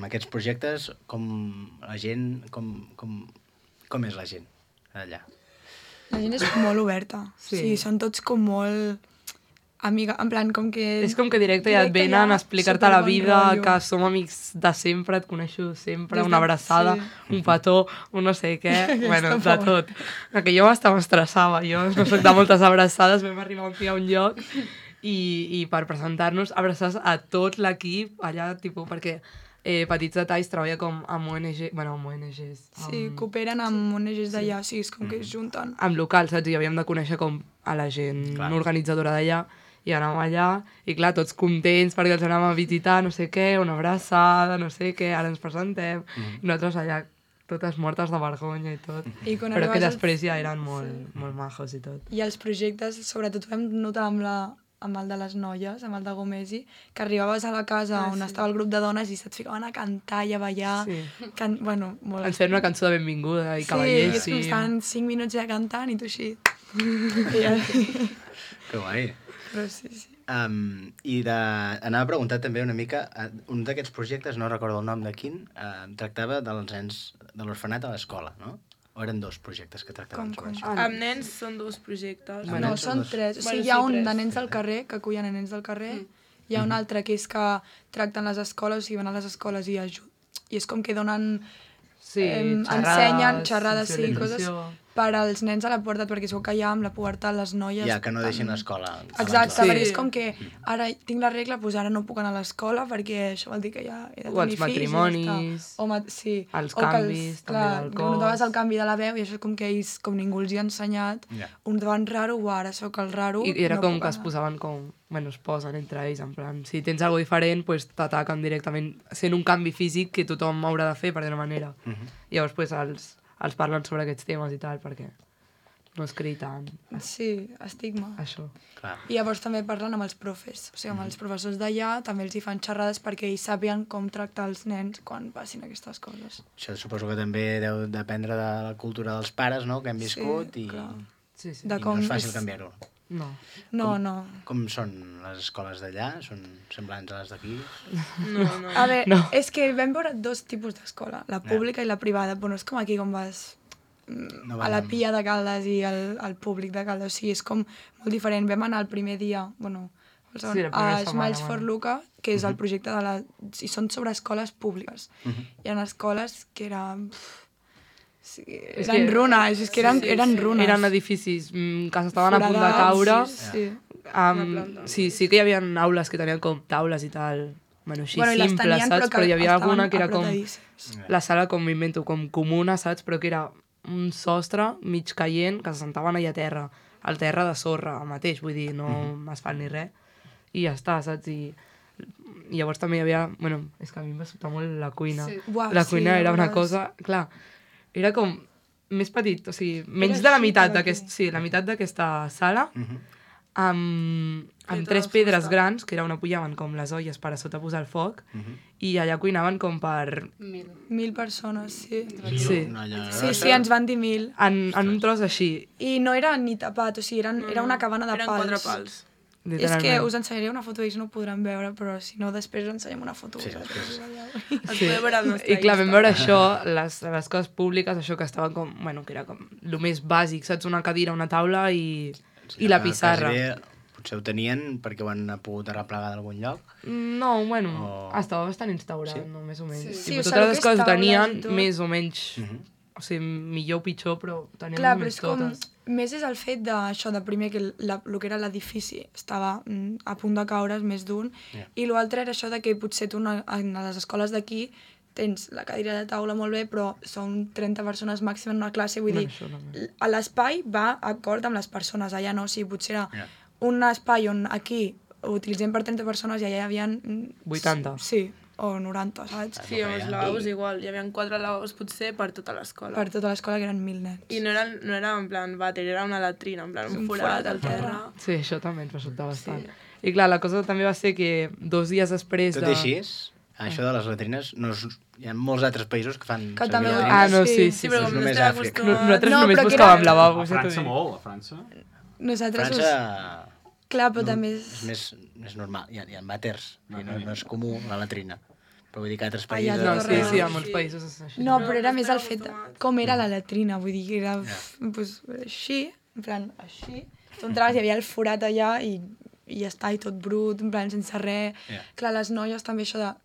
aquests projectes, com la gent, com és la gent allà? La gent és molt oberta. Sí, són tots com molt... Amiga, en plan, com que... És com que directe ja et venen a explicar-te la vida, que som amics de sempre, et coneixo sempre, una abraçada, un petó, un no sé què, bueno, de tot. Que jo m'estava estressava, jo no soc de moltes abraçades, vam arribar un dia a un lloc i per presentar-nos abraçades a tot l'equip allà, tipus, perquè Petits Detalls treballa com amb ONG, bueno, amb ONGs. Sí, cooperen amb ONGs d'allà, sí, és com que es junten. Amb locals, saps? I havíem de conèixer com a la gent organitzadora d'allà, i anàvem allà, i clar, tots contents perquè els anàvem a visitar, no sé què, una abraçada, no sé què, ara ens presentem, i nosaltres allà totes mortes de vergonya i tot. Però que després ja eren molt majos i tot. I els projectes, sobretot vam notar amb el de les noies, amb el de Gomesi, que arribaves a la casa on estava el grup de dones i se't ficaven a cantar i a ballar. Sí. Bueno, molt... Ens feien una cançó de benvinguda i cavallers. Sí, estaven 5 minuts ja cantant i tu així. Que guai. Però sí. Anava a preguntar també una mica, un d'aquests projectes, no recordo el nom de quin, tractava dels nens de l'orfenat a l'escola, no? O eren 2 projectes que tractaven sobre això? Amb nens són 2 projectes. No, són 3. O sigui, hi ha un de nens del carrer, que acullen a nens del carrer, hi ha un altre que és que tracten les escoles, o sigui, van a les escoles i és com que donen... ensenyen xerrades, sí, coses per als nens a la pubertat, perquè sabeu que ja amb la pubertat les noies... Ja, que no deixin l'escola. Exacte, perquè és com que ara tinc la regla, doncs ara no puc anar a l'escola perquè això vol dir que ja he de tenir fills. O els matrimonis, els canvis, també del cos... Notaves el canvi de la veu i això és com que ells, com ningú els hi ha ensenyat, un davant raro, ara sóc el raro... I era com que es posaven com... Bueno, es posen entre ells, en plan, si tens alguna diferent, pues t'ataquen directament, sent un canvi físic que tothom haurà de fer, per d'una manera. Llavors, pues, els parlen sobre aquests temes i tal, perquè no es creï tant. Sí, estigma. Això. I llavors també parlen amb els profes, o sigui, amb els professors d'allà, també els hi fan xerrades perquè ells sàpiguen com tractar els nens quan passin aquestes coses. Això suposo que també deu dependre de la cultura dels pares, no?, que hem viscut, i no és fàcil canviar-ho. No. Com són les escoles d'allà? Són semblants a les d'aquí? No. A veure, és que vam veure 2 tipus d'escola, la pública i la privada, però no és com aquí com vas a la Pia de Caldes i al públic de Caldes, o sigui, és com molt diferent. Vam anar el primer dia, bueno, a Smiles for Luca, que és el projecte de la... I són sobre escoles públiques. Hi ha escoles que eren... Eren runes, és que eren runes. Eren edificis que s'estaven a punt de caure. Sí que hi havia aules que tenien com taules i tal, bueno, així simples, saps? Però hi havia alguna que era com... La sala, com m'invento, com comuna, saps? Però que era un sostre mig caient que se sentaven allà a terra, al terra de sorra mateix, vull dir, no asfalt ni res. I ja està, saps? I llavors també hi havia... Bueno, és que a mi em va sobtar molt la cuina. La cuina era una cosa... Clar, era com més petit, o sigui, menys de la meitat d'aquesta sala, amb 3 pedres grans, que era on apujaven com les olles per a sota posar el foc, i allà cuinaven com per... 1.000 persones, sí. Sí, ens van dir 1.000. En un tros així. I no era ni tapat, o sigui, era una cabana de pals. Eren 4 pals. És que us ensenyaré una foto, ells no ho podran veure, però si no, després us ensenyem una foto. Sí, I clar, vam veure això, les coses públiques, això que estaven com, bueno, que era com el més bàsic, saps? Una cadira, una taula i la pissarra. Potser ho tenien perquè ho han pogut arreplegar d'algun lloc? No, bueno, estava bastant instaurat, no, més o menys. Sí, totes les coses ho tenien, més o menys, o sigui, millor o pitjor, però tenien més totes. Més és el fet d'això, de primer que el que era l'edifici estava a punt de caure's, més d'un, i l'altre era això de que potser tu en les escoles d'aquí tens la cadira de taula molt bé, però són 30 persones màxim en una classe, vull dir, l'espai va acord amb les persones, allà no, o sigui, potser era un espai on aquí ho utilitzem per 30 persones i allà hi havia... 80. Sí, o 90, saps? Sí, amb els lavabos igual, hi havia 4 lavabos potser per tota l'escola. Per tota l'escola, que eren 1.000 nens. I no era en plan vàter, era una latrina, en plan un forat al terra. Sí, això també ens va sobtar bastant. I clar, la cosa també va ser que 2 dies després Tot i així, això de les latrines, hi ha molts altres països que fan també latrines. Ah, no, sí. Però com no només estem Àfrica. acostumats... Nosaltres només buscàvem lavabos. A França molt, a França. Nosaltres... França... Clar, però també és més normal, hi ha vàters, no és comú la latrina. Però vull dir que altres països... No, sí, a molts països és així. No, però era més el fet de com era la latrina, vull dir que era així, en plan, així. Tu entraves, hi havia el forat allà i ja està, i tot brut, en plan, sense res. Clar, les noies també això de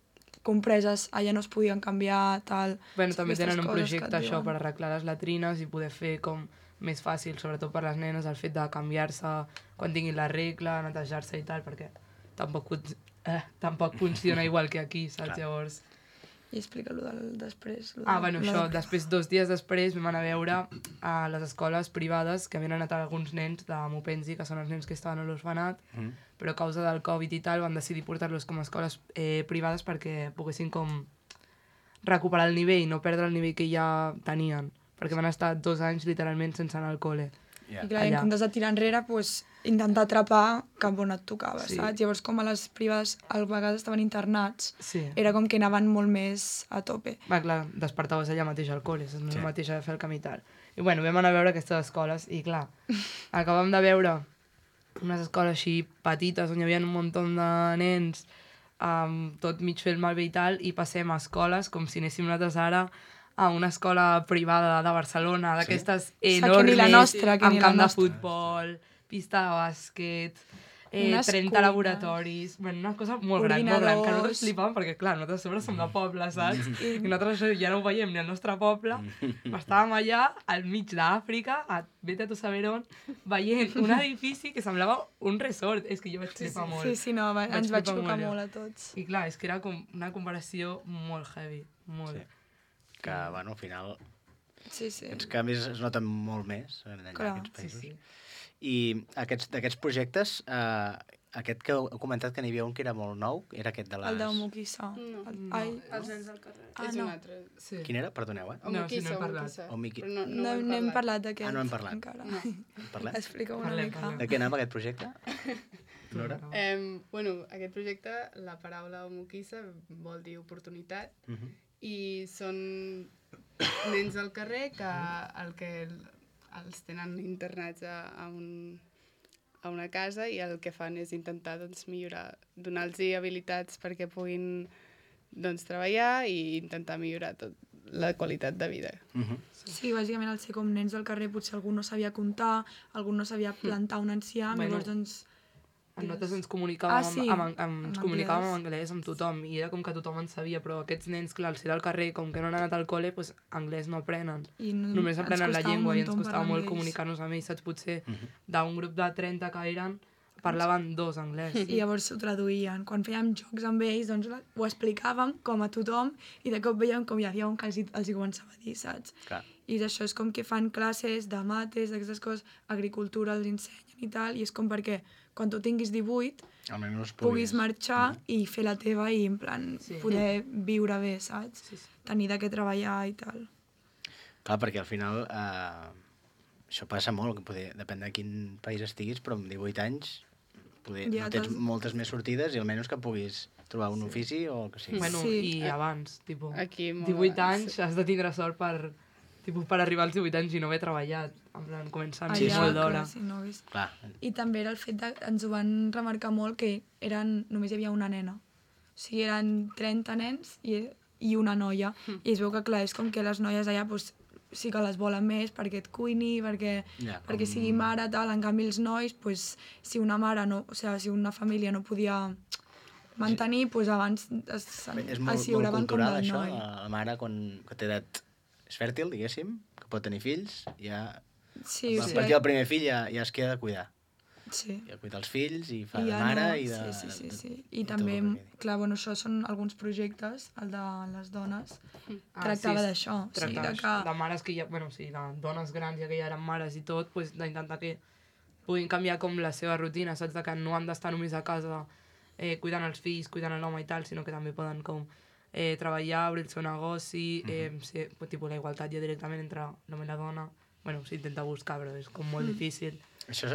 compreses, allà no es podien canviar, tal... Bueno, també tenen un projecte això per arreglar les latrines i poder fer com més fàcil, sobretot per les nenes, el fet de canviar-se quan tinguin la regla, netejar-se i tal, perquè tampoc funciona igual que aquí, saps? Llavors... I explica-lo del després. Bueno, això, després, 2 dies després, vam anar a veure a les escoles privades que havien anat alguns nens de Mupenzi, que són els nens que estaven a l'orfenat, però a causa del Covid i tal van decidir portar-los com a escoles privades perquè poguessin com recuperar el nivell, no perdre el nivell que ja tenien, perquè van estar 2 anys literalment sense anar al col·le. I clar, en comptes de tirar enrere, intentar atrapar cap on et tocava, saps? Llavors, com a les privades a vegades estaven internats, era com que anaven molt més a tope. Clar, despertaves allà mateix al col·le, és el mateix a fer el camí i tal. I bueno, vam anar a veure aquestes escoles i clar, acabam de veure unes escoles així petites on hi havia un munt de nens, tot mig fer el malbé i tal, i passem a escoles com si anéssim nosaltres ara a una escola privada de Barcelona, d'aquestes enormes, amb camp de futbol, pista de bàsquet, 30 laboratoris, una cosa molt gran, que nosaltres flipàvem, perquè clar, nosaltres a sobre som de poble, saps? I nosaltres això ja no ho veiem ni al nostre poble, estàvem allà, al mig d'Àfrica, vete a tu saber on, veient un edifici que semblava un resort, és que jo vaig flipar molt. Sí, no, ens vaig xocar molt a tots. I clar, és que era com una comparació molt heavy, molt. Que, bueno, al final... Sí. Aquests canvis es noten molt més en aquests països. Sí. I d'aquests projectes, aquest que heu comentat que n'hi havia un que era molt nou, era aquest de les... El d'Omukisa. No, els nens del carrer. És un altre. Quin era? Perdoneu, Omukisa. No hem parlat d'aquest. No hem parlat. Encara. Parlem? Explica-ho una mica. De què anava aquest projecte? Nora? Bueno, aquest projecte, la paraula Omukisa vol dir oportunitat, i són nens del carrer que els tenen internats a una casa i el que fan és intentar millorar, donar-los habilitats perquè puguin treballar i intentar millorar la qualitat de vida. Sí, bàsicament al ser com nens del carrer potser algú no sabia comptar, algú no sabia plantar un enciam, llavors doncs... Nosaltres ens comunicàvem en anglès amb tothom i era com que tothom en sabia, però aquests nens, clar, al ser del carrer, com que no han anat al col·le, doncs anglès no aprenen. Només aprenen la llengua i ens costava molt comunicar-nos amb ells, saps? Potser d'un grup de 30 que eren, parlaven 2 anglès. I llavors ho traduïen. Quan fèiem jocs amb ells, doncs ho explicàvem com a tothom i de cop veiem com hi havia un que els hi començava a dir, saps? Clar. I això és com que fan classes de mates, d'aquestes coses, agricultura els ensenyen i tal, i és com perquè quan tu tinguis 18 puguis marxar i fer la teva i en plan poder viure bé, saps? Tenir de què treballar i tal. Clar, perquè al final això passa molt, que poder, depèn de quin país estiguis, però amb 18 anys poder, Ja, no tens moltes més sortides i almenys que puguis trobar un ofici o el que sigui. Bueno, Sí. i abans, tipus, Aquí, molt 18 abans. anys has de tindre sort per arribar als 18 anys i no haver treballat, en plan, començant Sí, molt sí. d'hora. clar, sí, no, és... Clar, I també era el fet de... Ens ho van remarcar molt que només hi havia una nena. O sigui, eren 30 nens i una noia. I es veu que, clar, és com que les noies allà doncs, sí que les volen més perquè et cuini, perquè sigui mare, tal. En canvi, els nois, doncs, si una mare no... O sigui, si una família no podia mantenir, doncs abans és molt asseguraven com cultural, del això. noi. La mare, quan té edat és fèrtil, diguéssim, que pot tenir fills, ja... Sí, A partir del primer fill ja es queda de cuidar. Sí. Ja cuida els fills i fa I de ja mare no, i de... Sí. I també, clar, bueno, això són alguns projectes, el de les dones, tractava d'això. O sigui, De mares que ja, bueno, sí, de dones grans, ja que ja eren mares i tot, pues, d'intentar que puguin canviar com la seva rutina, saps? De que no han d'estar només a casa cuidant els fills, cuidant l'home i tal, sinó que també poden com treballar, obrir el seu negoci, ser, tipus, la igualtat ja directament entre l'home i la dona. Bueno, s'intenta buscar, però és com molt difícil. Això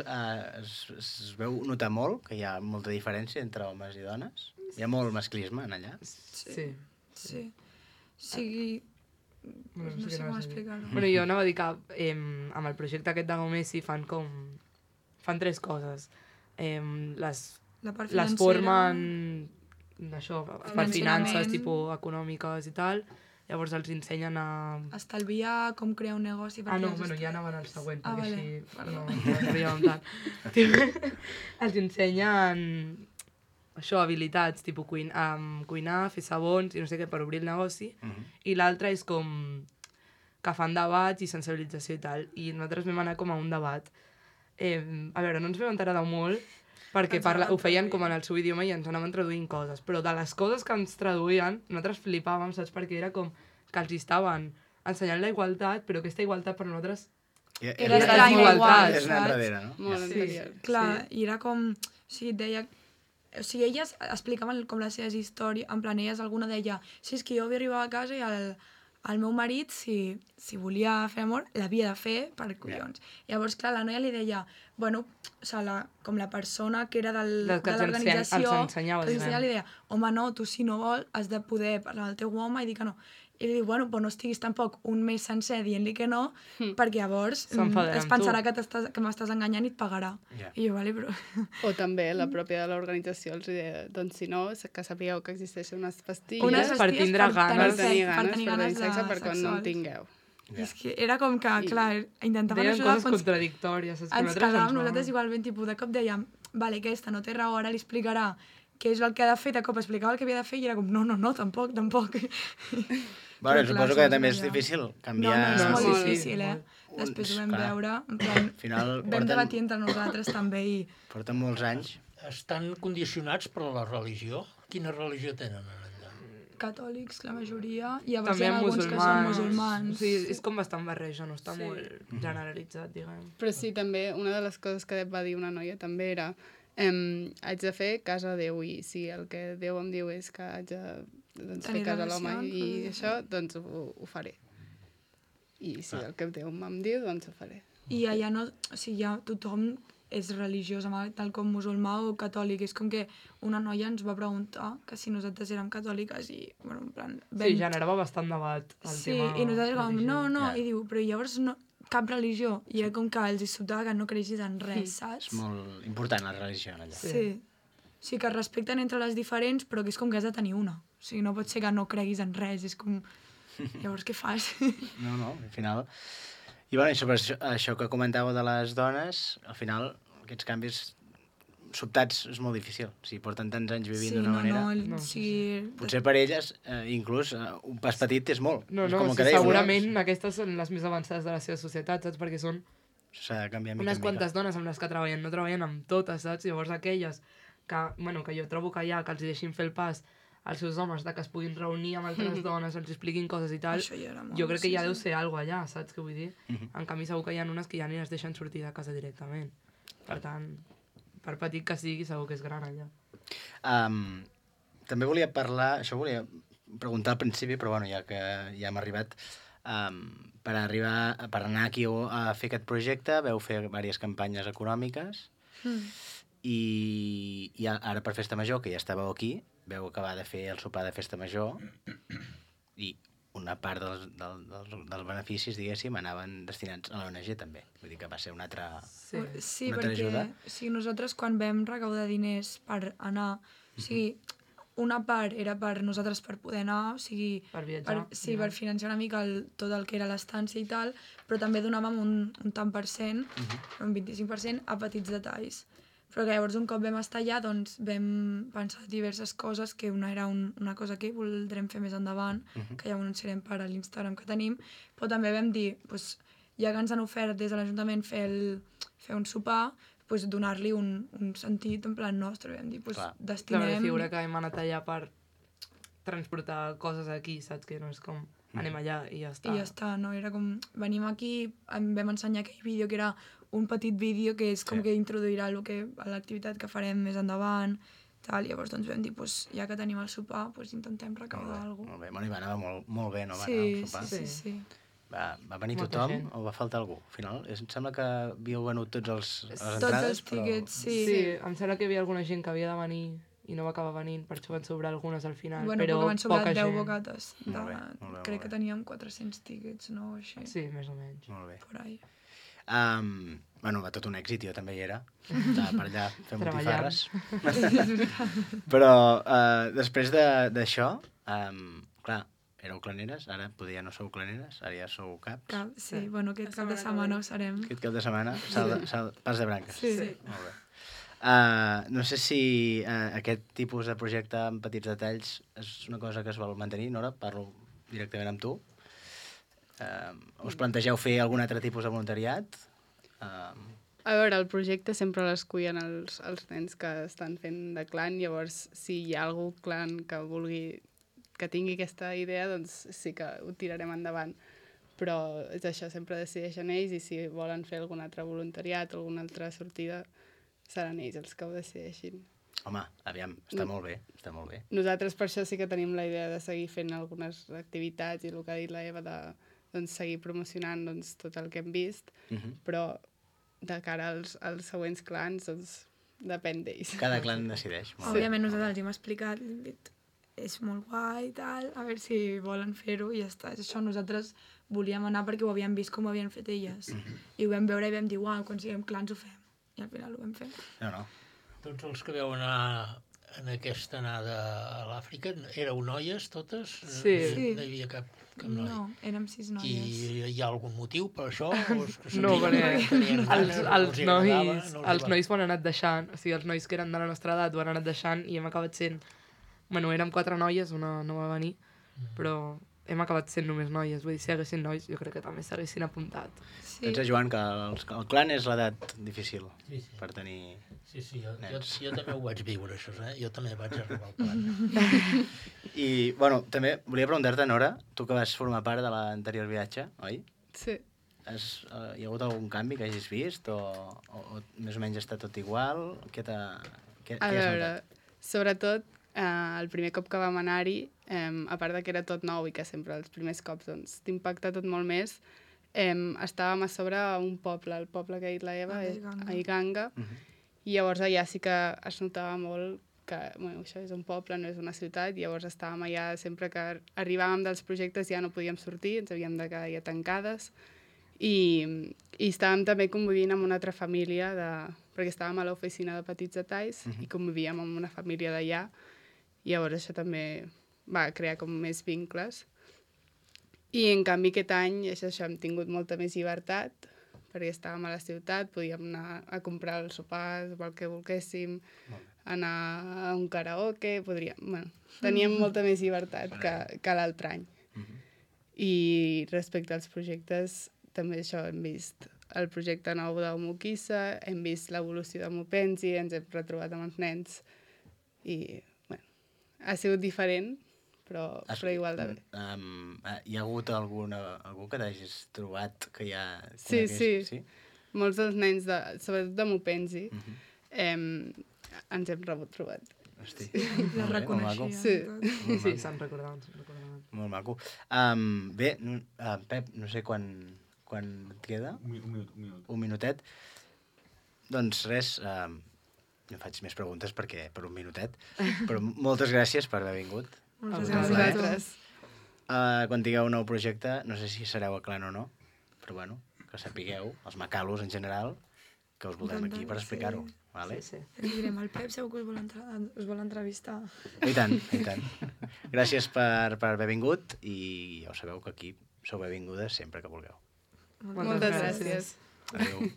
es veu notar molt, que hi ha molta diferència entre homes i dones? Hi ha molt masclisme en allà? Sí. Sí. O sigui... Bueno, no sé com explicar-ho. Bueno, jo anava a dir que amb el projecte aquest de Gomesi fan tres coses. Les formen d'això, per finances, tipus econòmiques i tal. Llavors els ensenyen a... Estalviar, com crear un negoci... no, bueno, ja anaven al següent, perquè vale. així no arribàvem tant. Els ensenyen això, habilitats, tipus cuinar, fer sabons i no sé què, per obrir el negoci. I l'altre és com que fan debats i sensibilització i tal. I nosaltres vam anar com a un debat. A veure, no ens vam enterar de molt, perquè ho feien com en el seu idioma i ens anaven traduint coses, però de les coses que ens traduïen nosaltres flipàvem, saps? Perquè era com que els estaven ensenyant la igualtat, però aquesta igualtat per nosaltres era desigualtat, és anar enrere, no? Molt anterior. Clar, i era com... O sigui, deia... O sigui, elles explicaven com les seves històries, en plan, elles alguna deia, sí, és que jo havia arribat a casa i el meu marit, si volia fer amor, l'havia de fer per collons. Llavors, clar, la noia li deia, bueno, o sigui, com la persona que era de l'organització, que li deia, home, no, tu si no vols has de poder parlar al teu home i dir que no. I li diu, bueno, però no estiguis tampoc un mes sencer dient-li que no, perquè llavors es pensarà que m'estàs enganyant i et pagarà. I jo, vale, però... O també la pròpia de l'organització els deia, doncs si no, que sapigueu que existeixen unes pastilles per tindre ganes, per tenir sexe per quan no en tingueu. I és que era com que, clar, intentaven deien ajudar... coses contradictòries. Ens quedàvem nosaltres igualment, tipus, de cop dèiem, vale, aquesta no té raó, ara li explicarà què és el que ha de fer, de cop explicava el que havia de fer i era com, no, tampoc. Bueno, suposo que també és difícil canviar... No, és molt difícil, Després ho vam veure, en plan, vam debatir entre nosaltres també i... Porten molts anys. Estan condicionats per la religió? Quina religió tenen allà? Catòlics, la majoria, i llavors també hi ha alguns que són musulmans. Sí, és com bastant barreja, no està molt generalitzat, diguem. Però sí, també, una de les coses que va dir una noia també era haig de fer casa a Déu i si el que Déu em diu és que haig de fer casa a l'home i això, doncs ho faré. I si el que Déu em diu, doncs ho faré. I allà no, o sigui, ja tothom és religiós, tal com musulmà o catòlic. És com que una noia ens va preguntar que si nosaltres érem catòliques i, bueno, en plan... Sí, generava bastant debat el tema. Sí, i nosaltres com, no, i diu, però llavors no, cap religió. I era com que els sobtava que no creguis en res, saps? És molt important la religió allà. Sí. O sigui, que es respecten entre les diferents, però que és com que has de tenir una. O sigui, no pot ser que no creguis en res, és com... Llavors, què fas? No, al final... I bueno, sobre això que comentàveu de les dones, al final aquests canvis sobtats és molt difícil. O sigui, porten tants anys vivint d'una manera. Sí. Potser per elles, inclús, un pas petit és molt. No, segurament aquestes són les més avançades de la seva societat, saps? Perquè són unes quantes dones amb les que treballen, no treballen amb totes, saps? Llavors aquelles que jo trobo que que els deixin fer el pas als seus homes, que es puguin reunir amb altres dones, els expliquin coses i tal, jo crec que ja deu ser alguna cosa allà, saps què vull dir? En canvi segur que hi ha unes que ja ni les deixen sortir de casa directament. Per tant, per petit que sigui, segur que és gran allà. També volia parlar, això volia preguntar al principi, però bueno, ja que ja hem arribat, per anar aquí a fer aquest projecte veu fer diverses campanyes econòmiques i ara per Festa Major, que ja estàveu aquí, veu acabar de fer el sopar de Festa Major i una part dels beneficis, diguéssim, anaven destinats a l'ONG també. Vull dir que va ser una altra ajuda. Sí, nosaltres quan vam recaudar diners per anar, o sigui, una part era per nosaltres per poder anar, o sigui, per viatjar. Per financiar una mica tot el que era l'estància i tal, però també donàvem un tant per cent, un 25% a petits detalls. Però que llavors un cop vam estar allà doncs vam pensar diverses coses, que una era una cosa que voldrem fer més endavant, que ja ho anunciarem per a l'Instagram que tenim, però també vam dir, ja que ens han ofert des de l'Ajuntament fer un sopar, donar-li un sentit en plan nostre, vam dir, destinem... La figura que hem anat allà per transportar coses aquí, saps? Que no és com anem allà i ja està. I ja està, no? Era com, venim aquí, vam ensenyar aquell vídeo que era un petit vídeo que és com que introduirà l'activitat que farem més endavant, tal. Llavors doncs vam dir, ja que tenim el sopar, intentem recaudar alguna cosa. Molt bé, bueno, i va anar molt bé, no? Va anar el sopar. Sí. Va venir tothom o va faltar algú? Al final, em sembla que havíeu venut tots les entrades, tots els tíquets, sí, em sembla que hi havia alguna gent que havia de venir i no va acabar venint, per això van sobrar algunes al final, però van sobrar poca 10 gent. bocates. Crec que teníem 400 tíquets, no? Així. Sí, més o menys. Molt bé. Por ahí. Va tot un èxit, jo també hi era. Estava per allà fent botifarres. Però després d'això, clar, éreu claneres, ara poder ja no sou claneres, ara ja sou caps. Sí, bueno, aquest cap de setmana ho serem. Aquest cap de setmana, pas de branques. Sí. Molt bé. No sé si aquest tipus de projecte amb petits detalls és una cosa que es vol mantenir, Nora? Parlo directament amb tu. Us plantegeu fer algun altre tipus de voluntariat? A veure, el projecte sempre l'escullen els nens que estan fent de clan, llavors si hi ha algú clan que tingui aquesta idea, doncs sí que ho tirarem endavant. Però és això, sempre decideixen ells i si volen fer algun altre voluntariat o alguna altra sortida, seran ells els que ho decideixin. Home, aviam, està molt bé, està molt bé. Nosaltres per això sí que tenim la idea de seguir fent algunes activitats i el que ha dit la Eva de seguir promocionant tot el que hem vist, però de cara als següents clans depèn d'ells. Cada clan decideix. Òbviament nosaltres els hem explicat, hem dit, és molt guai i tal, a veure si volen fer-ho i ja està. És això, nosaltres volíem anar perquè ho havíem vist com ho havien fet elles. I ho vam veure i vam dir, uau, quan siguem clans ho fem. I al final ho vam fer. No. Tots els que veu anar en aquesta anada a l'Àfrica, éreu noies totes? Sí. No hi havia cap noi? No, érem 6 noies. I hi ha algun motiu per això? No, perquè els nois ho han anat deixant, o sigui, els nois que eren de la nostra edat ho han anat deixant i hem acabat sent... Bueno, érem 4 noies, una no va venir, però hem acabat sent només noies. Vull dir, si haguessin nois, jo crec que també s'haguessin apuntat. Sí. Pensa, Joan, que el clan és l'edat difícil per tenir... Sí, jo també ho vaig viure, això, Jo també vaig arribar al clan. I, bueno, també volia preguntar-te, Nora, tu que vas formar part de l'anterior viatge, oi? Sí. Hi ha hagut algun canvi que hagis vist? O més o menys està tot igual? Què has notat? Sobretot, el primer cop que vam anar-hi, a part que era tot nou i que sempre els primers cops t'impacta tot molt més, estàvem a sobre un poble, el poble que ha dit la Eva, a Iganga, i llavors allà sí que es notava molt que això és un poble, no és una ciutat, i llavors estàvem allà, sempre que arribàvem dels projectes ja no podíem sortir, ens havíem de quedar ja tancades, i estàvem també convivint amb una altra família, perquè estàvem a l'oficina de petits detalls i convivíem amb una família d'allà, i llavors això també va crear com més vincles. I en canvi aquest any hem tingut molta més llibertat, perquè estàvem a la ciutat, podíem anar a comprar els sopars, el que volguéssim, anar a un karaoke, teníem molta més llibertat que l'altre any. I respecte als projectes, també això hem vist el projecte nou d'Homokissa, hem vist l'evolució de Mopensi, ens hem retrobat amb els nens i ha sigut diferent, però igual de bé. Hi ha hagut algú que t'hagis trobat que ja... Sí. Molts dels nens, sobretot de Mopensi, ens hem trobat. Hosti. La reconeixia. Sí, se'n recordaven. Molt maco. Bé, Pep, no sé quan et queda? Un minutet. Doncs res, no faig més preguntes perquè per un minutet, però moltes gràcies per haver vingut. Moltes gràcies. Quan tingueu un nou projecte, no sé si sereu a Clan o no, però bueno, que sapigueu, els macalos en general, que us voldrem aquí per explicar-ho. Vale? Sí. Li direm al Pep, segur que us vol entrevistar. I tant. Gràcies per haver vingut i ja ho sabeu que aquí sou benvingudes sempre que vulgueu. Moltes gràcies. Adéu.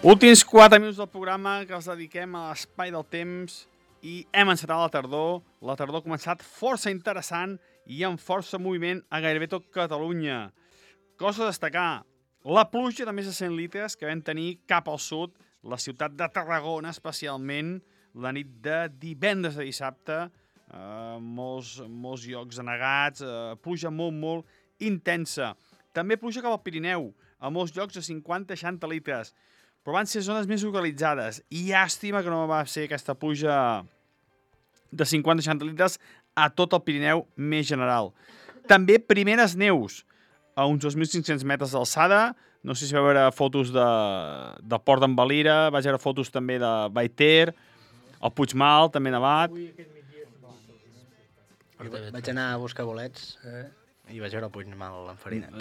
Últims 4 minuts del programa que els dediquem a l'espai del temps i hem encetat la tardor. La tardor ha començat força interessant i amb força moviment a gairebé tot Catalunya. Cosa a destacar, la pluja de més de 100 litres que vam tenir cap al sud, la ciutat de Tarragona especialment, la nit de divendres a dissabte, molts llocs anegats, pluja molt intensa. També pluja cap al Pirineu, a molts llocs de 50-60 litres. Però van ser zones més localitzades. I llàstima que no va ser aquesta pluja de 50-60 litres a tot el Pirineu més general. També primeres neus a uns 2.500 metres d'alçada. No sé si va veure fotos de Port d'en Valira, vaig veure fotos també de Baiter, el Puigmal, també nevat. Vaig anar a buscar bolets i vaig veure el Puigmal enfarinat.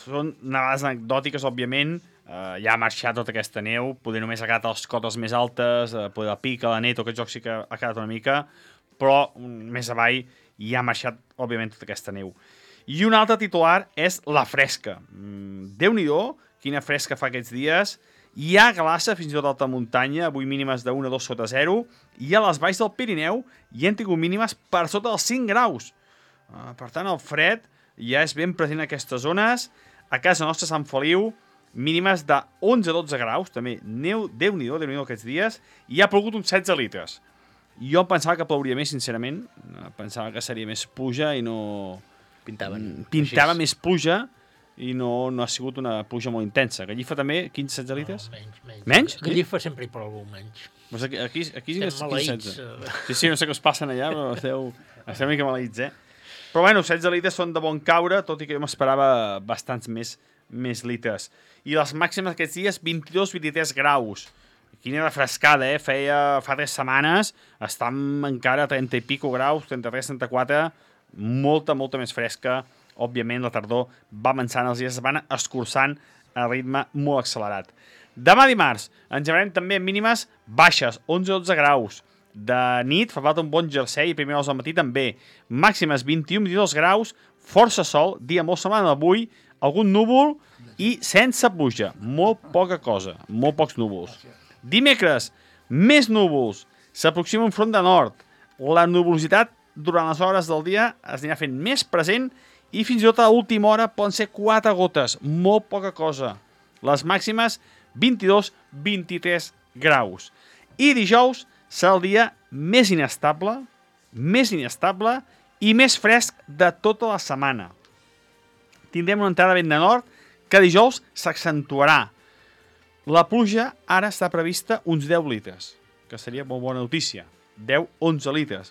Són nevades anecdòtiques, òbviament. Ja ha marxat tota aquesta neu, poder només ha quedat a les cotes més altes, poder la Pica, la Neto, aquest joc sí que ha quedat una mica, però més avall ja ha marxat, òbviament, tota aquesta neu. I un altre titular és la fresca. Déu-n'hi-do, quina fresca fa aquests dies. Hi ha glaça fins i tot a alta muntanya, avui mínimes de 1 a 2 sota 0, i a les valls del Pirineu hi han tingut mínimes per sota dels 5 graus. Per tant, el fred ja és ben present en aquestes zones. A casa nostra, Sant Feliu, mínimes de 11 a 12 graus, també Déu-n'hi-do aquests dies, i ha plogut uns 16 litres. Jo pensava que plouria més, sincerament. Pensava que seria més pluja i no... Pintava més pluja i no ha sigut una pluja molt intensa. Gallifa també, 15-16 litres? No, menys. Gallifa sempre hi plou menys. Aquí estem maleïts. Sí, no sé què us passen allà, però esteu una mica maleïts, Però bueno, 16 litres són de bon caure, tot i que jo m'esperava bastants més litres. I les màximes aquests dies, 22-23 graus. Quina refrescada, fa 3 setmanes, estem encara a 30 i pico graus, 33-34, molta més fresca. Òbviament, la tardor va avançant, els dies es van escurçant a ritme molt accelerat. Demà dimarts ens llevarem també mínimes baixes, 11-12 graus. De nit fa falta un bon jersei i primer hores al matí també. Màximes 21-22 graus, força sol, dia molt semblant d'avui, algun núvol i sense pluja. Molt poca cosa, molt pocs núvols. Dimecres, més núvols. S'aproxima un front de nord. La nuvolositat durant les hores del dia es anirà fent més present i fins i tot a l'última hora poden ser 4 gotes. Molt poca cosa. Les màximes 22-23 graus. I dijous serà el dia més inestable i més fresc de tota la setmana. Tindrem una entrada vent de nord que dijous s'accentuarà. La pluja ara està prevista uns 10 litres, que seria molt bona notícia. 10-11 litres.